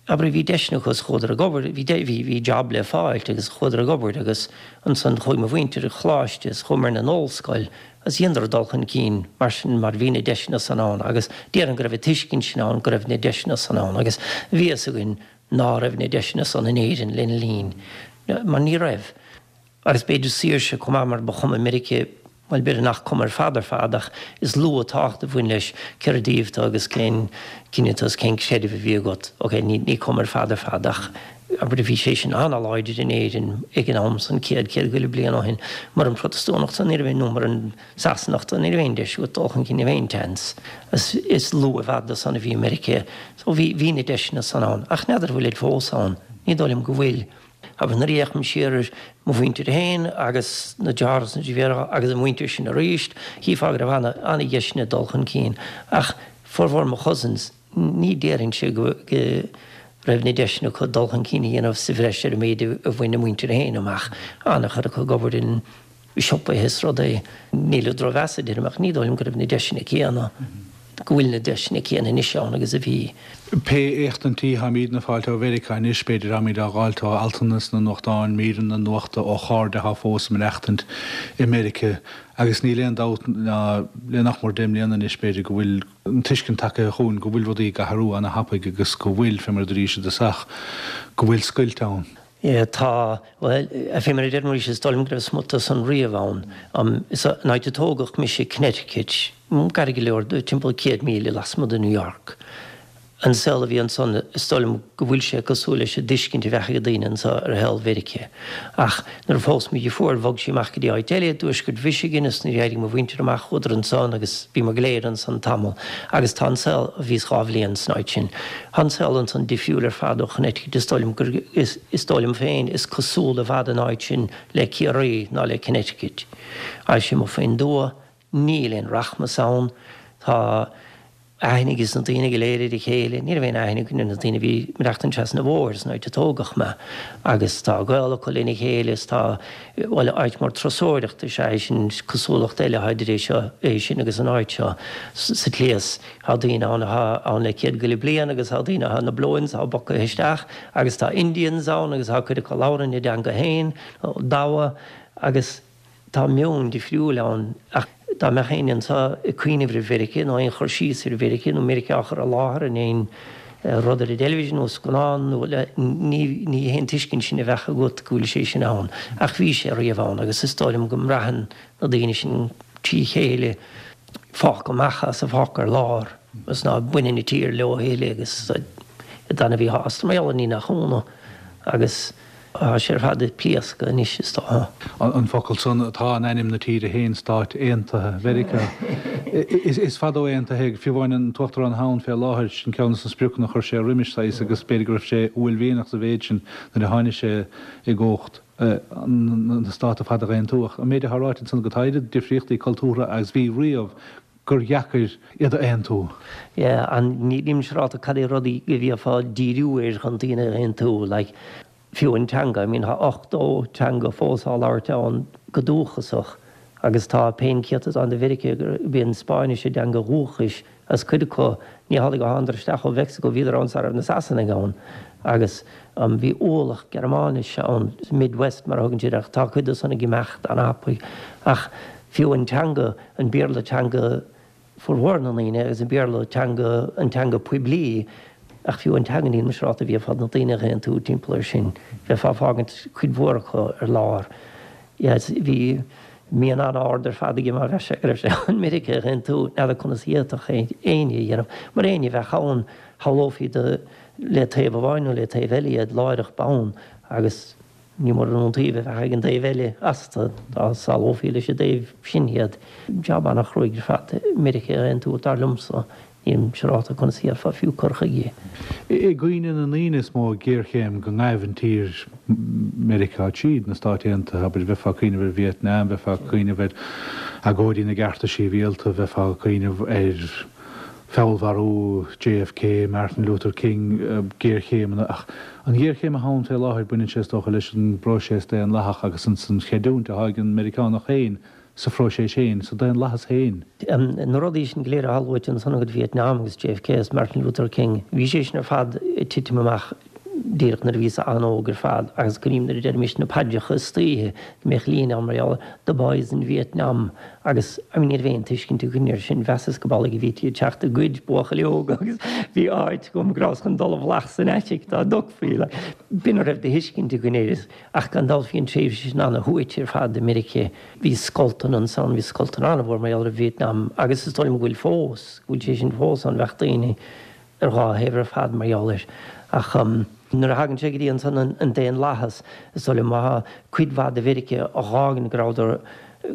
Abair, bhí deiseanna acu is chuadar ag obair, bhí, bhí, bhí job le fáilt agus chuadar ag obair agus ansan chuaigh mo mhuintir ag choláiste is chuamar an ollscoil agus dheineadar dul chun cinn mar sin mar bhí na deiseanna san ann agus déarfainn go raibh an tuiscint sin ann go raibh na deiseanna san ann agus bhí fhios againn ná raibh na deiseanna san in Éirinn lena linn mar ní raibh. Agus b'fhéidir saoirse chomh maith mar ba chuma Meiriceá. Bhuel, b'fhéidir nach cuma ar fad ar fad ach is lú an tábhacht a bhain leis cérbh díobh tú agus cén cine tú agus cén creideamh a bhí agat. Ok, ní ní cuma ar fad ar fad ach abair bhí sé sin an-láidir in Éirinn ag an am san, 100, 100 go leith bliain ó shin. Muran Protastúnach tú ní raibh nó muran Sasanach tú ní raibh aon deis agat dul chun cinn, ní raibh aon chance. Is is lú i bhfad de san a bhí i Meiriceá. So bhí bhí na deiseanna san ann ach n'fheadar an bhfuil fós ann. Ní dóigh liom go bhfuil. Agus nuair a fhéachaim siar ar mo mhuintir féin agus na deartháireacha is na deirfiúracha agus an mhuintir sin arís, chífeá go raibh ana-dheiseanna dul chun cinn. Ach formhór mo chousins, ní déarfainnse go raibh na deiseanna acu dul chun cinn a dhéanamh sa bhreis ar an méid a bhain a muintir féin amach. An-chuid acu ag obair in siopaithe is rudaí. Ní le drochmheas a deirim ach ní dóigh liom go raibh na deiseanna céanna, go bhfuil na deiseanna céanna anois ann agus a bhí. Pé éachtaintí tháimídne ag fáilt ó Mheiriceá anois, b'fhéidir, tháimíd á dh'fháilt ó altanna sna nuachtáin, míreanna nuachta ó chairde athá fós ag maireachtaint i Meiriceá agus níl aon dabht ná le nach mór deich mbliana anois, b'fhéidir, go bhfuil an tuiscint tagtha chugainn go bhfuil rudaí ag athrú ana-thapaidh agus go bhfuil, fé mar a dúraís i dtosach, go bhfuil scoilt ann. Tá, bhuel, fé mar a deirim arís, is dóigh liom go raibh smut de san riamh ann. San áit a tógadh mise, Connecticut, gar go leor, timpeall 100 míle lasmuigh de New York. An saol a bhí ansan, is dóigh liom go bhfuil sé cosúil leis an dtuiscint a bheadh ag daoine anso ar shaol Mheiriceá. Ach nuair a phós mo dheirfiúr, bhog sí amach go dtí áit eile i dtuaisceart Mhichigan is nuair a d'éirigh mo mhuintir amach chuadar ansan agus bhíomar go léir ansan tamall. Agus tá an saol, bhíos dhá bhliain san áit sin. Tá an saol ansan difriúil ar fad ó Chonnecticut, is dóigh liom gur, is dóigh liom féin, is cosúla i bhfad an áit sin le Ciarraí ná le Connecticut. Tá sé amuigh faoin dtuath, níl aon rachmas ann, tá aithne ages na daoine go léir ar a chéile, ní raibh aon aithne againn ar na daoine a bhí ag maireachtaint trasna an bhóthair san áit a tógadh mé agus tá gaol acu lena chéile is tá, bhuel, áit mór turasóireachta is ea é sin, cosúlacht eile atá idir é seo, é sin agus an áit seo sa tslí is. Tá daoine ann atá ann le céad go leith bliain agus tá daoine atá ina bplóin atá bogtha isteach agus tá Indians ann agus tá cuid acu a labhrann a dteanga féin, damha, agus tá meon difriúil ann ach dá mbeadh éinne anseo ag cuimhneamh ar Mheiriceá nó aon chur síos ar Mheiriceá nó Meiriceá á chur i láthair in aon rud ar an dteilifís nó scannán nó ní ní hé an tuiscint sin a bheadh agat go bhfuil sé sin ann ach bhí sé riamh ann agus is dóigh liom go mbraitheann na daoine sin trí chéile fágtha amach as, fágtha ar lár agus ná baineann an tír leo a thuilleadh agus iad ana-mhíshásta mar gheall air ní nach ionadh agus tá sé ar fad ag pléascadh anois is dócha. An focal san atá in ainm na tíre féin, Stáit Aontaithe Mheiriceá. Is fada ó aontaithe é, fiú amháin an tUachtarán atá ann fé láthair, sin ceann de na spriocanna a chuir sé roimis, saghas, agus b'fhéidir go raibh sé uaillmhianach sa mhéid sin nuair a tháinig sé i gcumhacht. na Stáit ar fad a aontú. Ach an méid atá ráite ansan agat, tá oiread difríochtaí cultúrtha agus bhí riamh gur dheacair iad a aontú. Yeah, and nílim siúrálta cad é rudaí a bhíofá ag díriú air chun daoine a aontú, like, fiú an teanga, I mean, tá 80 teanga fós á labhairt ann go dúchasach agus tá pé an céatadán de Mheiriceá gurb í an Spáinnis a dteanga dhúchais Agus cuid acu, ní hamhlaidh go thánadar isteach ó Mheicsiceo, bhíodar ann sara raibh na Sasanaigh ann agus bhí ualach Gearmáinise ann, Midwest mar a thugann siad air, ach tá cuid de san ag imeacht an-thapaidh. Ach fiú an teanga, an Béarla teanga formhór na ndaoine agus an Béarla teanga, an teanga poiblí, ach fiú an teanga níl mé siúrálta an bhféadfá na daoine a aontú timpeall air sin, bheifeá ag fágaint cuid mhór acu ar lár. Yes, bhí mian an-ard ar fad aige mar bheadh sé, go raibh sé chun Meiriceá a aontú, n'fheadar conas a d'fhéadfadh éinne a dhéanamh, mar éinne a bheadh ann, shamhlófaí do le taobh amháin nó le taobh eile iad láithreach bonn agus ní mór an iontaoibh a bheadh ag an dtaobh eile astu dá samhlófaí leis an dtaobh sin iad. Jab an-chruaidh ar fad Meiriceá a aontú, dar liomsa. Nílim siúrálta conas a dhéanfá fiú cur chuige. I gcuimhne na ndaoine is mó géarchéim go ngaibh an tír Meiriceá tríd, na Stáit Aontaithe, abair, bheifeá ag cuimhneamh ar Vietnam, bheifeá ag cuimhneamh ar agóidí na gcearta sibhialta, bheifeá ag cuimhneamh ar feallmharú JFK, Martin Luther King, géarchéimeanna. Ach an ghéarchéim atá ann fé láthair, baineann sé is dócha leis an bpróiseas daonlathach agus an chreidiúint atá ag an Meiriceánach féin sa phróiseas féin, sa daonlathas féin. Na rudaí sin go léir atá luaite ansan agat, Vietnam agus JFK agus Martin Luther King, bhí sé sin ar fad ag titim amach. díreach nuair a bhíos an-óg ar fad agus cuimhním nuair a deirimis na paidreacha istoíche go mbíodh líne ann mar gheall ar the boys in Vietnam agus I mean ní raibh aon tuiscint againn air sin, mheasas go amhlaidh a bhítí ag teacht ag goid buachaillí óga agus bhí áit agam go rabhas chun dul i bhfolach san attic dá dtiocfaí like b'in a raibh de thuiscint againn air ach gan dabht bhí an tréimhse sin ana-shuaite ar fad i Meiriceá, bhí scoltanna ansan, bhí scoltanna an-mhór mar gheall ar Vietnam agus is dóigh liom go bhfuil fós, go bhfuil sé sin fós ann, bheadh daoine ar dhá thaobh ar fad mar gheall air. Ach nuair a thagann sé go dtí ansan an daonlathas, is dóigh liom má thá cuid mhaith de Mheiriceá a dh'fhágann go rabhadar,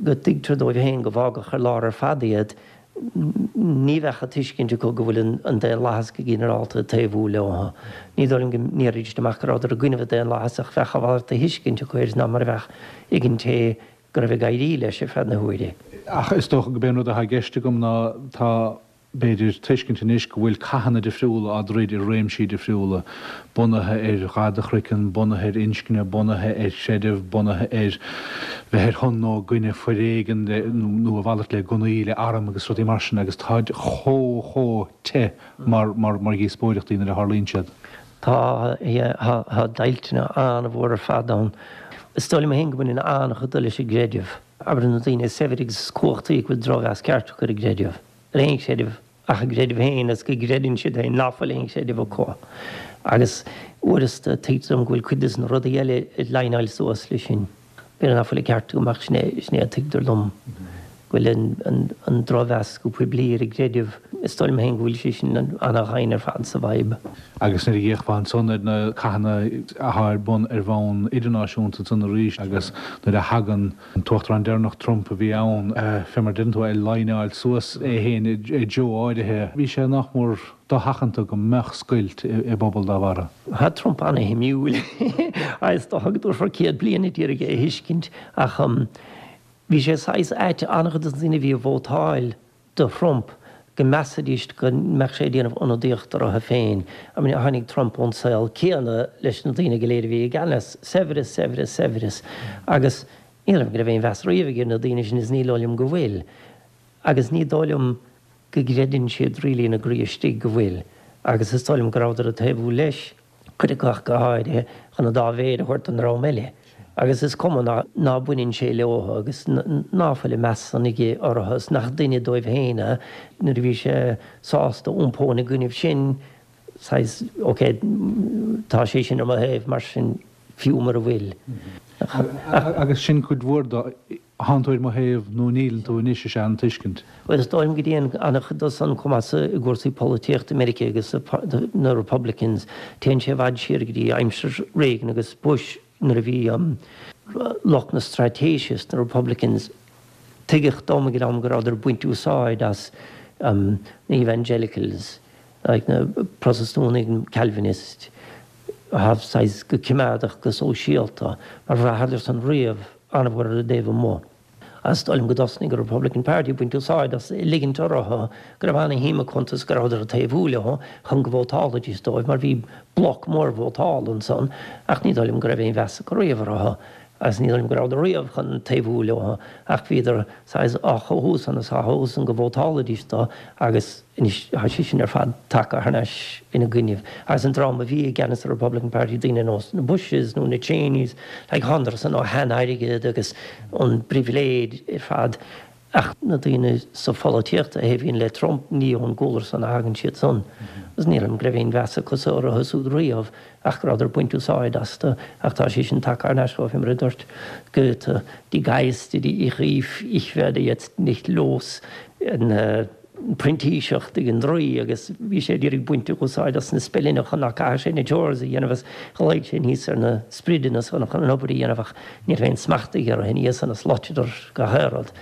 go dtuigtear dóibh féin go bhfágadh ar lár ar fad iad, ní bheadh an tuiscint acu go bhfuil an daonlathas go ginearálta ag taobhú leo. Ní dóigh liom go ndéarfaidís amach go rabhadar i gcoinnibh an daonlathais ach bheadh a mhalairt de thuiscint acu air ná mar a bheadh ag an té go raibh ag éirí leis ar feadh na huaire. Ach is dócha go b'é an rud atá i gceist agam ná tá b'fhéidir, tuiscint anois go bhfuil cathanna difriúla á dtroid i réimsí difriúla, bunaithe ar dhath do chroiceann, bunaithe ar inscne, bunaithe ar chreideamh, bunaithe ar bheith ar shon nó i gcoinne foréigean nó a mhalairt le gunnaí, le airm agus rudaí mar sin agus táid chomh, chomh te mar, mar, mar dhíospóireachtaí nuair a tharlaíonn siad. Tá, yeah, tá, tá deighilt an-mhór ar fad ann. Is dóigh liom féin go mbaineann an-chuid de leis an gcreideamh. Abair na daoine is saibhre agus is cumhachtaí go bhfuil drochmheas ceart acu ar an gcreideamh. ar aon chreideamh ach a gcreideamh féin is go gcreideann siad féin ná fuil aon chreideamh acu. Agus uaireanta tuigtear dom go bhfuil cuid de na rudaí eile ag líneáil suas leis sin. B'fhéidir ná fuil an ceart agam ach sin é, sin é a tuigtear dom. Go bhfuil an, an, an drochmheas go poiblí ar an gcreideamh, is dóigh liom féin go bhfuil sé sin ana-dhoimhin ar fad sa bhfadhb. Agus nuair a d'fhéachfá ansan ar na cathanna athá ar bun ar bhonn idirnáisiúnta ansan arís agus nuair a thagann An tUachtarán deireanach Trump a bhí ann, fé mar a deireann tú, ag líneáil suas é féin i dtreo áirithe. Bhí sé nach mór dosheachanta go mbeadh scoilt i bpobal dá bharra. Tá Trump ana-shuimiúil. Is dócha go dtabharfar 100 bliain a d'iarraidh é a thuiscint ach bhí sé saghas ait, an-chuid de na daoine a bhí ag vótáil do Thrump go measfaidís go mbeadh sé ag déanamh ionadaíocht orthu féin. I mean, tháinig Trump ón saol céanna leis na daoine go léir a bhí i gceannas, saibhreas, saibhreas, saibhreas. Agus ní dóigh liom go raibh aon mheas riamh aige ar na daoine sin is ní dóigh liom go bhfuil. Agus ní dóigh liom go gcreideann siad really ina gcroí istigh go bhfuil. Agus is dóigh liom go rabhadar ag taobhú leis. cuid acu ach go háirithe, chun an dá mhéar a thabhairt don dream eile. Agus is cuma ná baineann sé leo agus ná fuil an meas san aige orthu is nach duine dóibh féin é, nuair a bhí sé sásta iompó ina gcoinnibh sin, saghas, ok, tá sé sin ar mo thaobh, mar sin, fiú mura bhfuil. Agus sin cuid mhór de. Thánn tú ar mo thaobh nó níleann tú anois is ea an tuiscint. Bhuel, is dóigh liom go dtéann an-chuid de san chomh maith i gcúrsaí polaitíochta i Meiriceá agus na Republicans, téann sé i bhfad siar go dtí aimsir Reagan agus Bush nuair a bhí lucht na straitéise sna Republicans, tuigeadh dom ag an am go rabhadar ag baint úsáid as na Evangelicals, like na Protastúnaigh, Calvinist, atá saghas go coimeádach go sóisialta, mar bhraitheadar san riamh an-mhór ar an dtaobh amuigh. Is dóigh liom go dtosnaigh an Republican Party ag baint úsáid as, ag ligint orthu go raibh ana-shuim acu iontu is go rabhadar ag taobhú leo chun go vótálfaidís dóibh mar bhí bloc mór vótála ansan ach ní dóigh liom go raibh aon mheas acu riamh orthu agus ní dóigh liom go rabhadar riamh chun taobhú leo ach bhíodar saghas á chothú san is á chothú san go vótálfaidís dó agus Anois tá sé sin ar fad tagtha thar n-ais ina gcoinnibh. Agus an dream a bhí i gceannas ar Republican Party, daoine ar nós na Bushes nó na Cheneys, like thánadar san ó shean-airgead agus ón bpribhléid ar fad. Ach na daoine sa pholaitíocht a thaobhaíonn le Trump, ní ón gcúlra san a thagann siad san. Agus ní dóigh liom go raibh aon mheas acu sa orthu súd riamh ach go rabhadar ag baint úsáid astu. Ach tá sé sin tagtha thar n-ais chomh mar a dúirt Goethe, Die Geister, die ich rief, ich werde jetzt nicht los. An printíseacht ag an draoi agus bhí sé ag iarraidh baint úsáid as na speileanna chun nach gcaithfeadh sé na chores a dhéanamh agus ghlaoigh sé aníos ar na sprideanna san chun an obair a dhéanamh ach ní raibh aon smacht aige orthu ina dhiaidh san is loiteadar gach aon rud.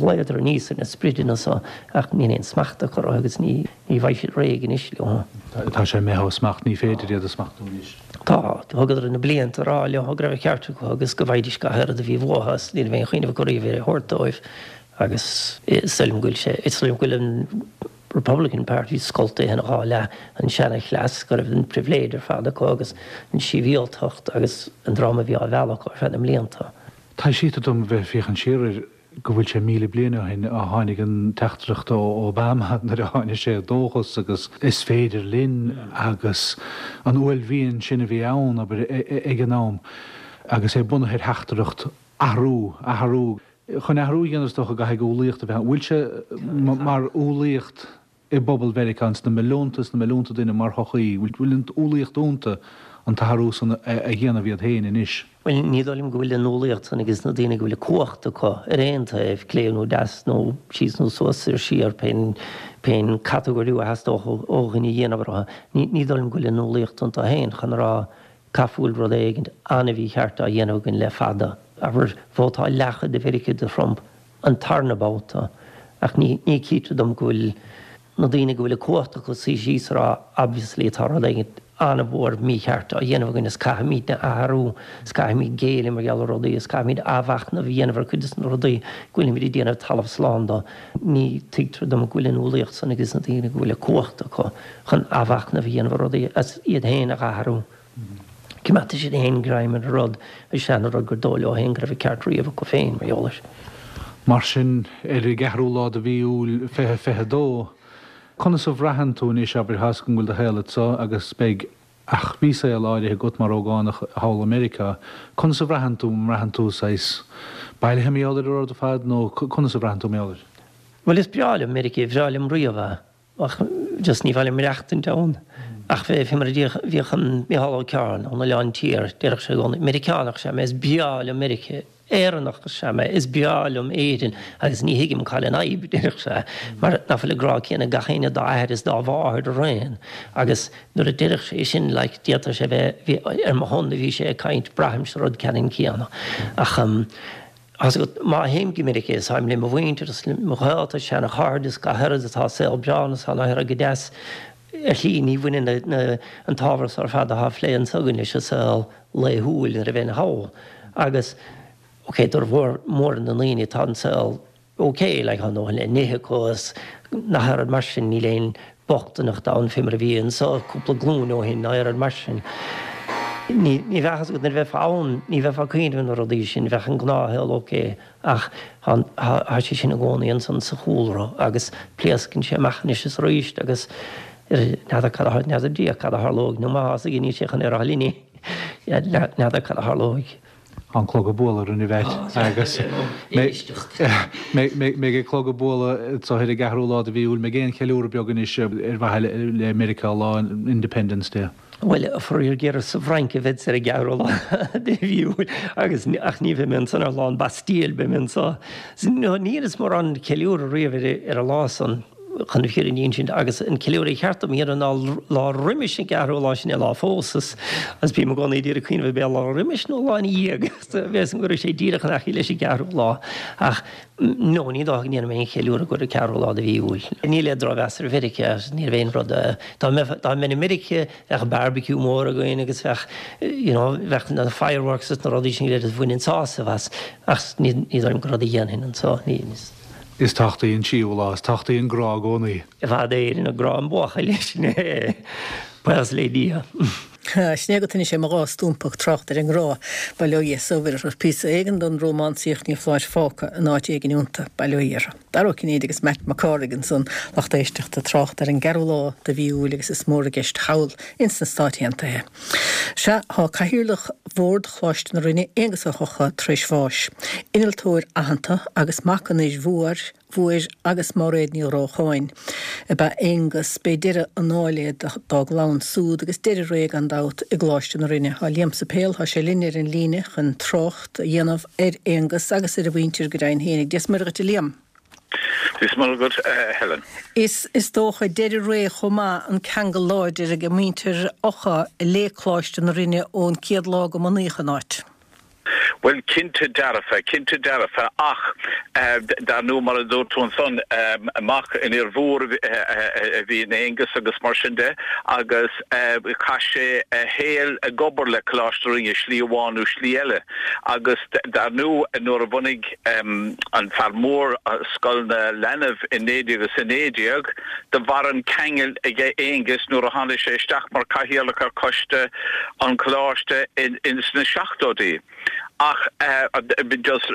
Ghlaodar aníos ar na sprideanna so ach níl aon smacht acu orthu agus ní bheidh siad réidh anois leo. Tá sé imithe ó smacht, ní féidir iad a smachtú anois. Tá. Thugadar na blianta ag rá leo go raibh an ceart acu agus go bhfaighidís gach aon rud a bhí uathu is ní raibh aon chuimhneamh acu riamh ar é a thabhairt dóibh. Agus is dóigh liom go bhfuil sé, is dóigh liom go bhfuil an Republican Party scoltaithe ina dhá leath, an seana-chleas go raibh an pribhléid ar fad acu agus an sibhialtacht agus an dream a bhí á mhealladh acu ar feadh na mblianta. Taibhsítear dom a bheith ag féachaint siar ar. go bhfuil sé 1,000 bliain ó shin a tháinig an teachtaireacht ó Obama nuair a tháinig sé dóchas agus is féidir linn agus an uaillmhian sin a bhí ann, abair, ag an am agus é bunaithe ar theachtaireacht athrú, athrú. Chun athrú a dhéanamh is dócha go gcaithfidh umhlaíocht a bheith ann. Bhfuil sé mar umhlaíocht i bpobal Mheiriceá, ins na milliúnta is na milliúnta duine mar shochaí, bhfuil an umhlaíocht iontu an t-athrú san a dhéanamh iad féin anois? Bhuel, ní dóigh liom go bhfuil an umhlaíocht san ages na daoine go bhfuil an cumhacht acu ar aon taobh, clé nó deas nó síos nó suas soir siar, pén, pén catagóiriú a theastódh ó dhuine a dhéanamh orthu. Ní, ní dóigh liom go bhfuil an umhlaíocht iontu féin chun a rá Caithfidh go bhfuil rud éigint an-mhícheart á dhéanamh againn le fada. Abair, vótáil leathchuid de Mheiriceá do Thrump an tarna babhta, ach ní, ní chítear dom go bhfuil na daoine go bhfuil an cumhacht acu suí síos a rá obviously tá rud éigint an-mhór mícheart á dhéanamh againn is caithfimidne athrú is caithfimid géilleadh mar gheall ar rudaí is caithfimid athmhachnamh a dhéanamh ar cuid de na rudaí go bhfuilimid ag déanamh talamh slán de. Ní tuigtear dom go bhfuil an umhlaíocht san ages na daoine go bhfuil an cumhacht acu chun athmhachnamh a dhéanamh ar rudaí agus iad féin a athrú. Coimeádfaidh siad féin greim ar an rud, an seana-rud gur dóigh leo féin go raibh an ceart riamh acu féin mar gheall air. Mar sin, ar an gceathrú lá de mhí Iúil 2022, conas a bhraitheann tú anois, abair, tá's agam go bhfuil do shaol anso agus beidh, ach bhí saol áirithe agat mar ógánach thall i Meiriceá, conas a bhraitheann tú, an mbraitheann tú saghas bailithe mar gheall ar an rud ar fad nó conas a bhraitheann tú mar gheall air? Bhuel, is breá liom Meiriceá, ba bhreá liom riamh é. Ach just ní mhaith liom maireachtaint ann. Ach fé mar a bhíodh an Micheál Ó Cearn ón Oileán Tiar, déarfadh sé i gcónaí, Meiriceánach is ea mé, is breá liom Meiriceá, Éireannach is ea mé, is breá liom Éirinn agus ní thuigim cá bhfuil an fhadhb, déarfadh sé, mar nach bhfuil an grá céanna ag gach éinne dá athair is dá mháthair araon. Agus nuair a déarfadh sé sin, like, d'fhéadfadh sé bheith, ar mo shon a bhí sé ag caint, braithimse rud ceannann céanna. Ach. Tá's agat, má théim go Meiriceá, táim le mo mhuintir is le mo ghaolta, seana-chairde is gach oiread atá saol breá ann is tá an oiread go deas. Ar shlí, ní bhaineann na, an t-ábhar so ar fad atá á phlé anso againn leis an saol laethúil nuair a bheinn thall. Agus, ok, d'fhormhór mór na ndaoine tá an saol ok, like, tá a ndóthain le n-ithe acu is nach oiread mar sin, níl aon bochtaineacht ann fé mar a bhí anso cúpla glúin ó shin ná oiread mar sin. Ní, ní bheadh fhios agat nuair a bheifeá ann, ní bheifeá ag cuimhneamh ar na rudaí sin, bheadh an gnáthshaol ok ach tá, tá sé sin i gcónaí ansan sa chúlra agus pléascann sé amach anois is arís agus n'fheadar cad a, n'fheadar Dia cad a tharlóidh nó má tá fhios aige níl sé chun é a rá linn, n'fheadar cad a tharlóidh. Tá an clog ag bualadh orainn a Mheait agus mbeidh an clog ag bualadh anso ar an gceathrú lá de mhí Iúil. Mbeidh aon cheiliúradh beag anois ar mhaithe le Meiriceá lá Independence Day? Bhuel, faraor géar is sa bhFrainc a bheadsa ar an gceathrú lá de mhí Iúil agus ach ní bheidh mé ansan ar lá an Bastille, beidh mé anso. Ní dheineas mórán ceiliúradh riamh ar an lá san. chun na fírinne a insint, agus an ceiliúradh cheart dom a dhéanamh ná lá roimis an gceathrú lá, sin é lá phósas, agus bím i gcónaí ag iarraidh cuimhneamh ab é lá roimis nó lá ina dhiaidh, bheas an go raibh sé díreach in aice leis an gceathrú lá, ach no, ní dócha go ndéanfaidh mé aon cheiliúradh ar an gceathrú lá de mhí Iúil. Níl aon drochmheas ar Mheiriceá, ní raibh aon rud, dá mbeinn i Meiriceá bheadh barbecue mór againn agus bheadh, you know, bheadh na fireworks is na rudaí sin go léir agus bhainfinn sásamh as, ach ní dóigh liom gur rud a dhéanfainn anseo, ní. Is tábhachtaí an tríú lá, is tábhachtaí an grá i gcónaí. I bhfad Éireann ag grá an buachaill, sin é. Buíochas le Dia. Sin é agat anois é mo dhá stúmpa ag trácht ar an ngrá. Bail ó Dhia is ó Mhuire orthu. Píosa éigin den rómánsaíocht ní foláir fágtha in áit éigin iontu. Bail ó Dhia orthu. Dara Ó Cinnéide agus Matt Mac Cárthaigh ansan, lucht éisteachta, ag trácht ar an gceathrú lá de mhí Iúil agus is mór i gceist thall ins na Stáit Aontaithe. Sea, tá Cathaoirleach Bhord Choláiste na Rinne, Aengus Ó hEochaidh, tar éis bháis. Innealtóir aitheanta agus mac an fhir mhóir, mhóir agus Máiréad Ní Ghrócháin, ab ea Aengus. B'é deireadh an áil é dá gclann súd agus deireadh ré, gan dabht, i gColáiste na Rinne. Tá Liam Suipéil, tá sé linn ar an líne chun trácht a dhéanamh ar Aengus agus ar a mhuintir go deimhin fhéinig. Dia 's Muire dhuit a Liam. Dia 's Muire dhuit, a Helen. Is is dócha deireadh ré chomh maith an ceangal láidir ag muintir Eochaidh le Coláiste na Rinne ón chéad lá go mbunaíodh an áit. Bhuel, cinnte dearfa, cinnte dearfa, ach dar ndóigh, mar a dúirt tú ansan, mac an fhir mhóir a bhí in Aengus agus mar sin de, agus chaith sé a shaol ag obair le Coláiste na Rinne, slí amháin nó slí eile, agus dar ndóigh, nuair a bhunaigh an fear mór Scoil na Leanbh i 1919. Do mhair an ceangal aige Aengus nuair a tháinig sé isteach mar chathaoirleach ar choiste an choláiste ins na seachtóidí. Ach just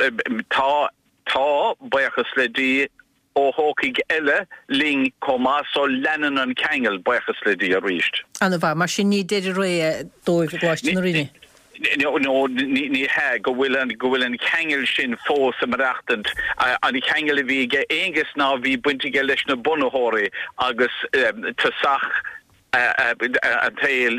tá. tá, buíochas le Dia, Ó hEochaidh eile linn chomh maith so leanann an ceangal, buíochas le Dia arís. Ana-mhaith. Mar sin ní deireadh ré é dóibh i gColáiste na Rinne? No, ní hea, go bhfuil an, go bhfuil an ceangal sin fós ag maireachtaint. An ceangal a bhí aige Aonghus ná bhí baint aige leis na bunaitheoirí agus tosach an tsaoil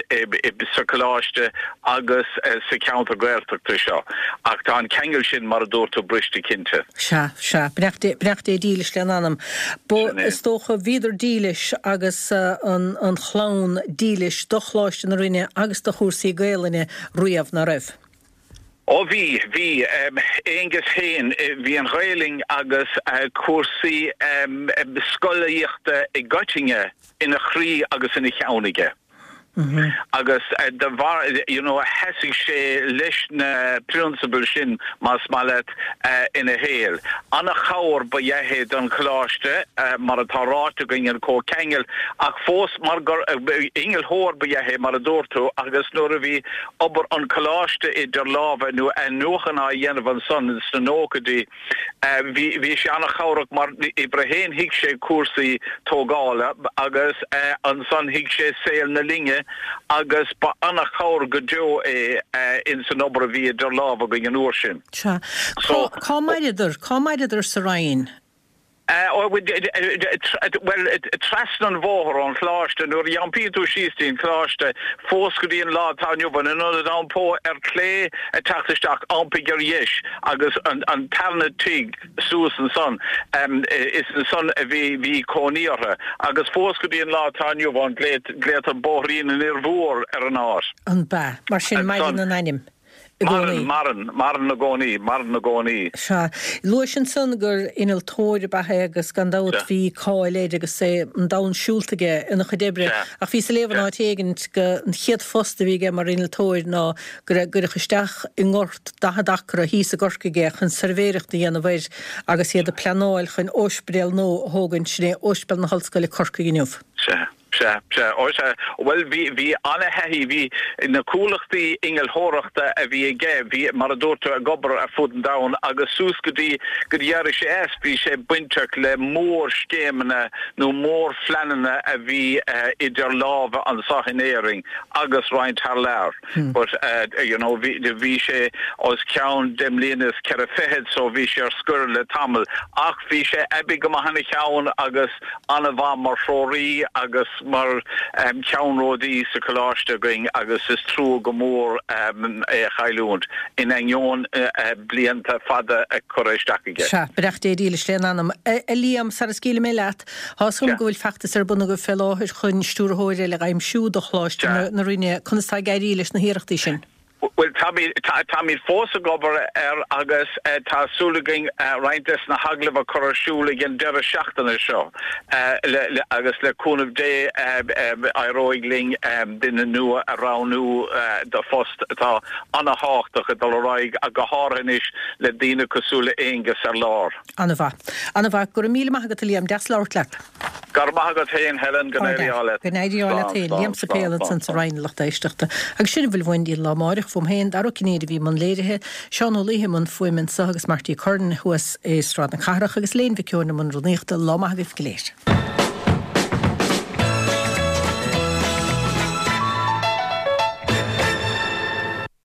sa choláiste agus sa cheantar Gaeltachta seo. Ach tá an ceangal sin, mar a dúirt tú, briste cinnte. Sea, sea. Beannacht Dé, beannacht Dé dílis lena anam. Ba, is dócha, bhíodar dílis agus an chlann dílis do Choláiste na Rinne agus do chúrsaí Gaelainne riamh, ná raibh? Ó bhí, bhí. Aonghus féin, bhí an Ghaelainn agus cúrsaí scolaíochta i gcoitinne ina chroí agus ina cheann aige. Agus de bharr, you know, sheasaigh sé leis na prionsabail sin, más maith leat, ina shaol. Ana-chabhair ba ea é don Choláiste, mar atá ráite againn, an comhcheangal, ach fós mar gur innealtóir ba ea é, mar a dúirt tú, agus nuair a bhí obair an Choláiste idir lámha nó athnuachan á dhéanamh ansan sna nóchaidí. Bhí bhí sé an-chabhrach mar uimhir a haon thuig sé cúrsaí tógála agus ansan thuig sé saol na linne agus ba an-chabhair go deo é ins an obair a bhí idir lámha againn an uair sin. Sea. Cá maireadar? Cá maireadar sa Rinn? Bhuel, trasna an bhóthair ón Choláiste, nuair a iompaíonn tú síos dtí an Coláiste, fós go dtí an lá atá inniu ann, in ionad iompó ar chlé ag teacht isteach, iompaigh ar dheis agus an tarna tigh suas ansan, is ansan a bhí, bhí cónaí orthu. Agus fós go dtí an lá atá inniu ann, glaotar Bóithrín an Fhir Mhóir ar an áit. An b'ea? Mar sin, maireann an ainm i gcónaí. Maireann, maireann, maireann i gcónaí, maireann i gcónaí. Sea. Luais ansan gur innealtóir ab ea é agus gan dabht bhí cáil air agus é an domhan siúlta aige ina chuid oibre. Ach bhíos ag léamh in áit éigint go an chéad phost a bhí aige mar innealtóir ná go gcuireadh isteach i ngort 40 acra thíos i gCorcaigh é chun suirbhéireacht a dhéanamh air agus iad ag pleanáil chun óispidéal nua a thógaint, sin é Ospidéal na hOllscoile Corcaigh inniu. Sea. Sea, sea, ó sea. Bhuel, bhí, bhí ana-thaithí, bhí na comhlachtaí innealtóireachta a bhí aige, bhí, mar a dúirt tú, ag obair ar fud an domhain agus suas go dtí go d'éirigh sé as, bhí sé bainteach le mórscéimeanna nó mórphleananna a bhí idir lámha anseo in Éirinn agus roinnt thar lear. But, you know, bhí, bhí sé os cionn deich mbliana is ceithre fichid so bhí sé ar scor le tamall ach bhí sé aibí go maith ina cheann agus an-mhaith mar threoraí agus mar cheannródaí sa choláiste againn agus is trua go mór é a chailliúint, in ainneoin blianta fada a curtha isteach aige. Sea, beannacht Dé dílis lena anam. A Liam, sara scaoilfidh mé leat, tá 'fhios agam go bhfuil feachtas ar bun agaibh fé láthair chun stiúrthóir eile a aimsiú do Choláiste na Rinne. Conas tá ag éirí leis na hiarrachtaí sin? Bhuel, táimid fós ag obair air agus tá súil againn roinnt des na hagallaimh a chur ar siúl ag an deireadh seachtaine seo agus le cúnamh Dé éireoidh linn duine nua a roghnú do phost atá an-thábhachtach ag dul ar aghaidh ach go háirithe anois le daoine cosúil le Aonghus ar lár. An-mhaith. An-mhaith. Go raibh míle maith agat a Liam. Deas labhairt leat. Go raibh maith agat féin, Helen. Go n-éirí ádh leat. Go n-éirí ádh leat féin. Liam Suipéil ansan sa Rinn, a lucht éisteachta. Agus sin a bhfuil uainn go dtí an lá amáireach. Fúm féin, Dara Ó Cinnéide a bhí i mbun léirithe, Seán Ó Laoithe i mbun fuaime anso agus Marty Curran thuas i Sráid na Cathrach agus Léan Mhic Eoin i mbun rúnaíochta. Lá maith agaibh go léir.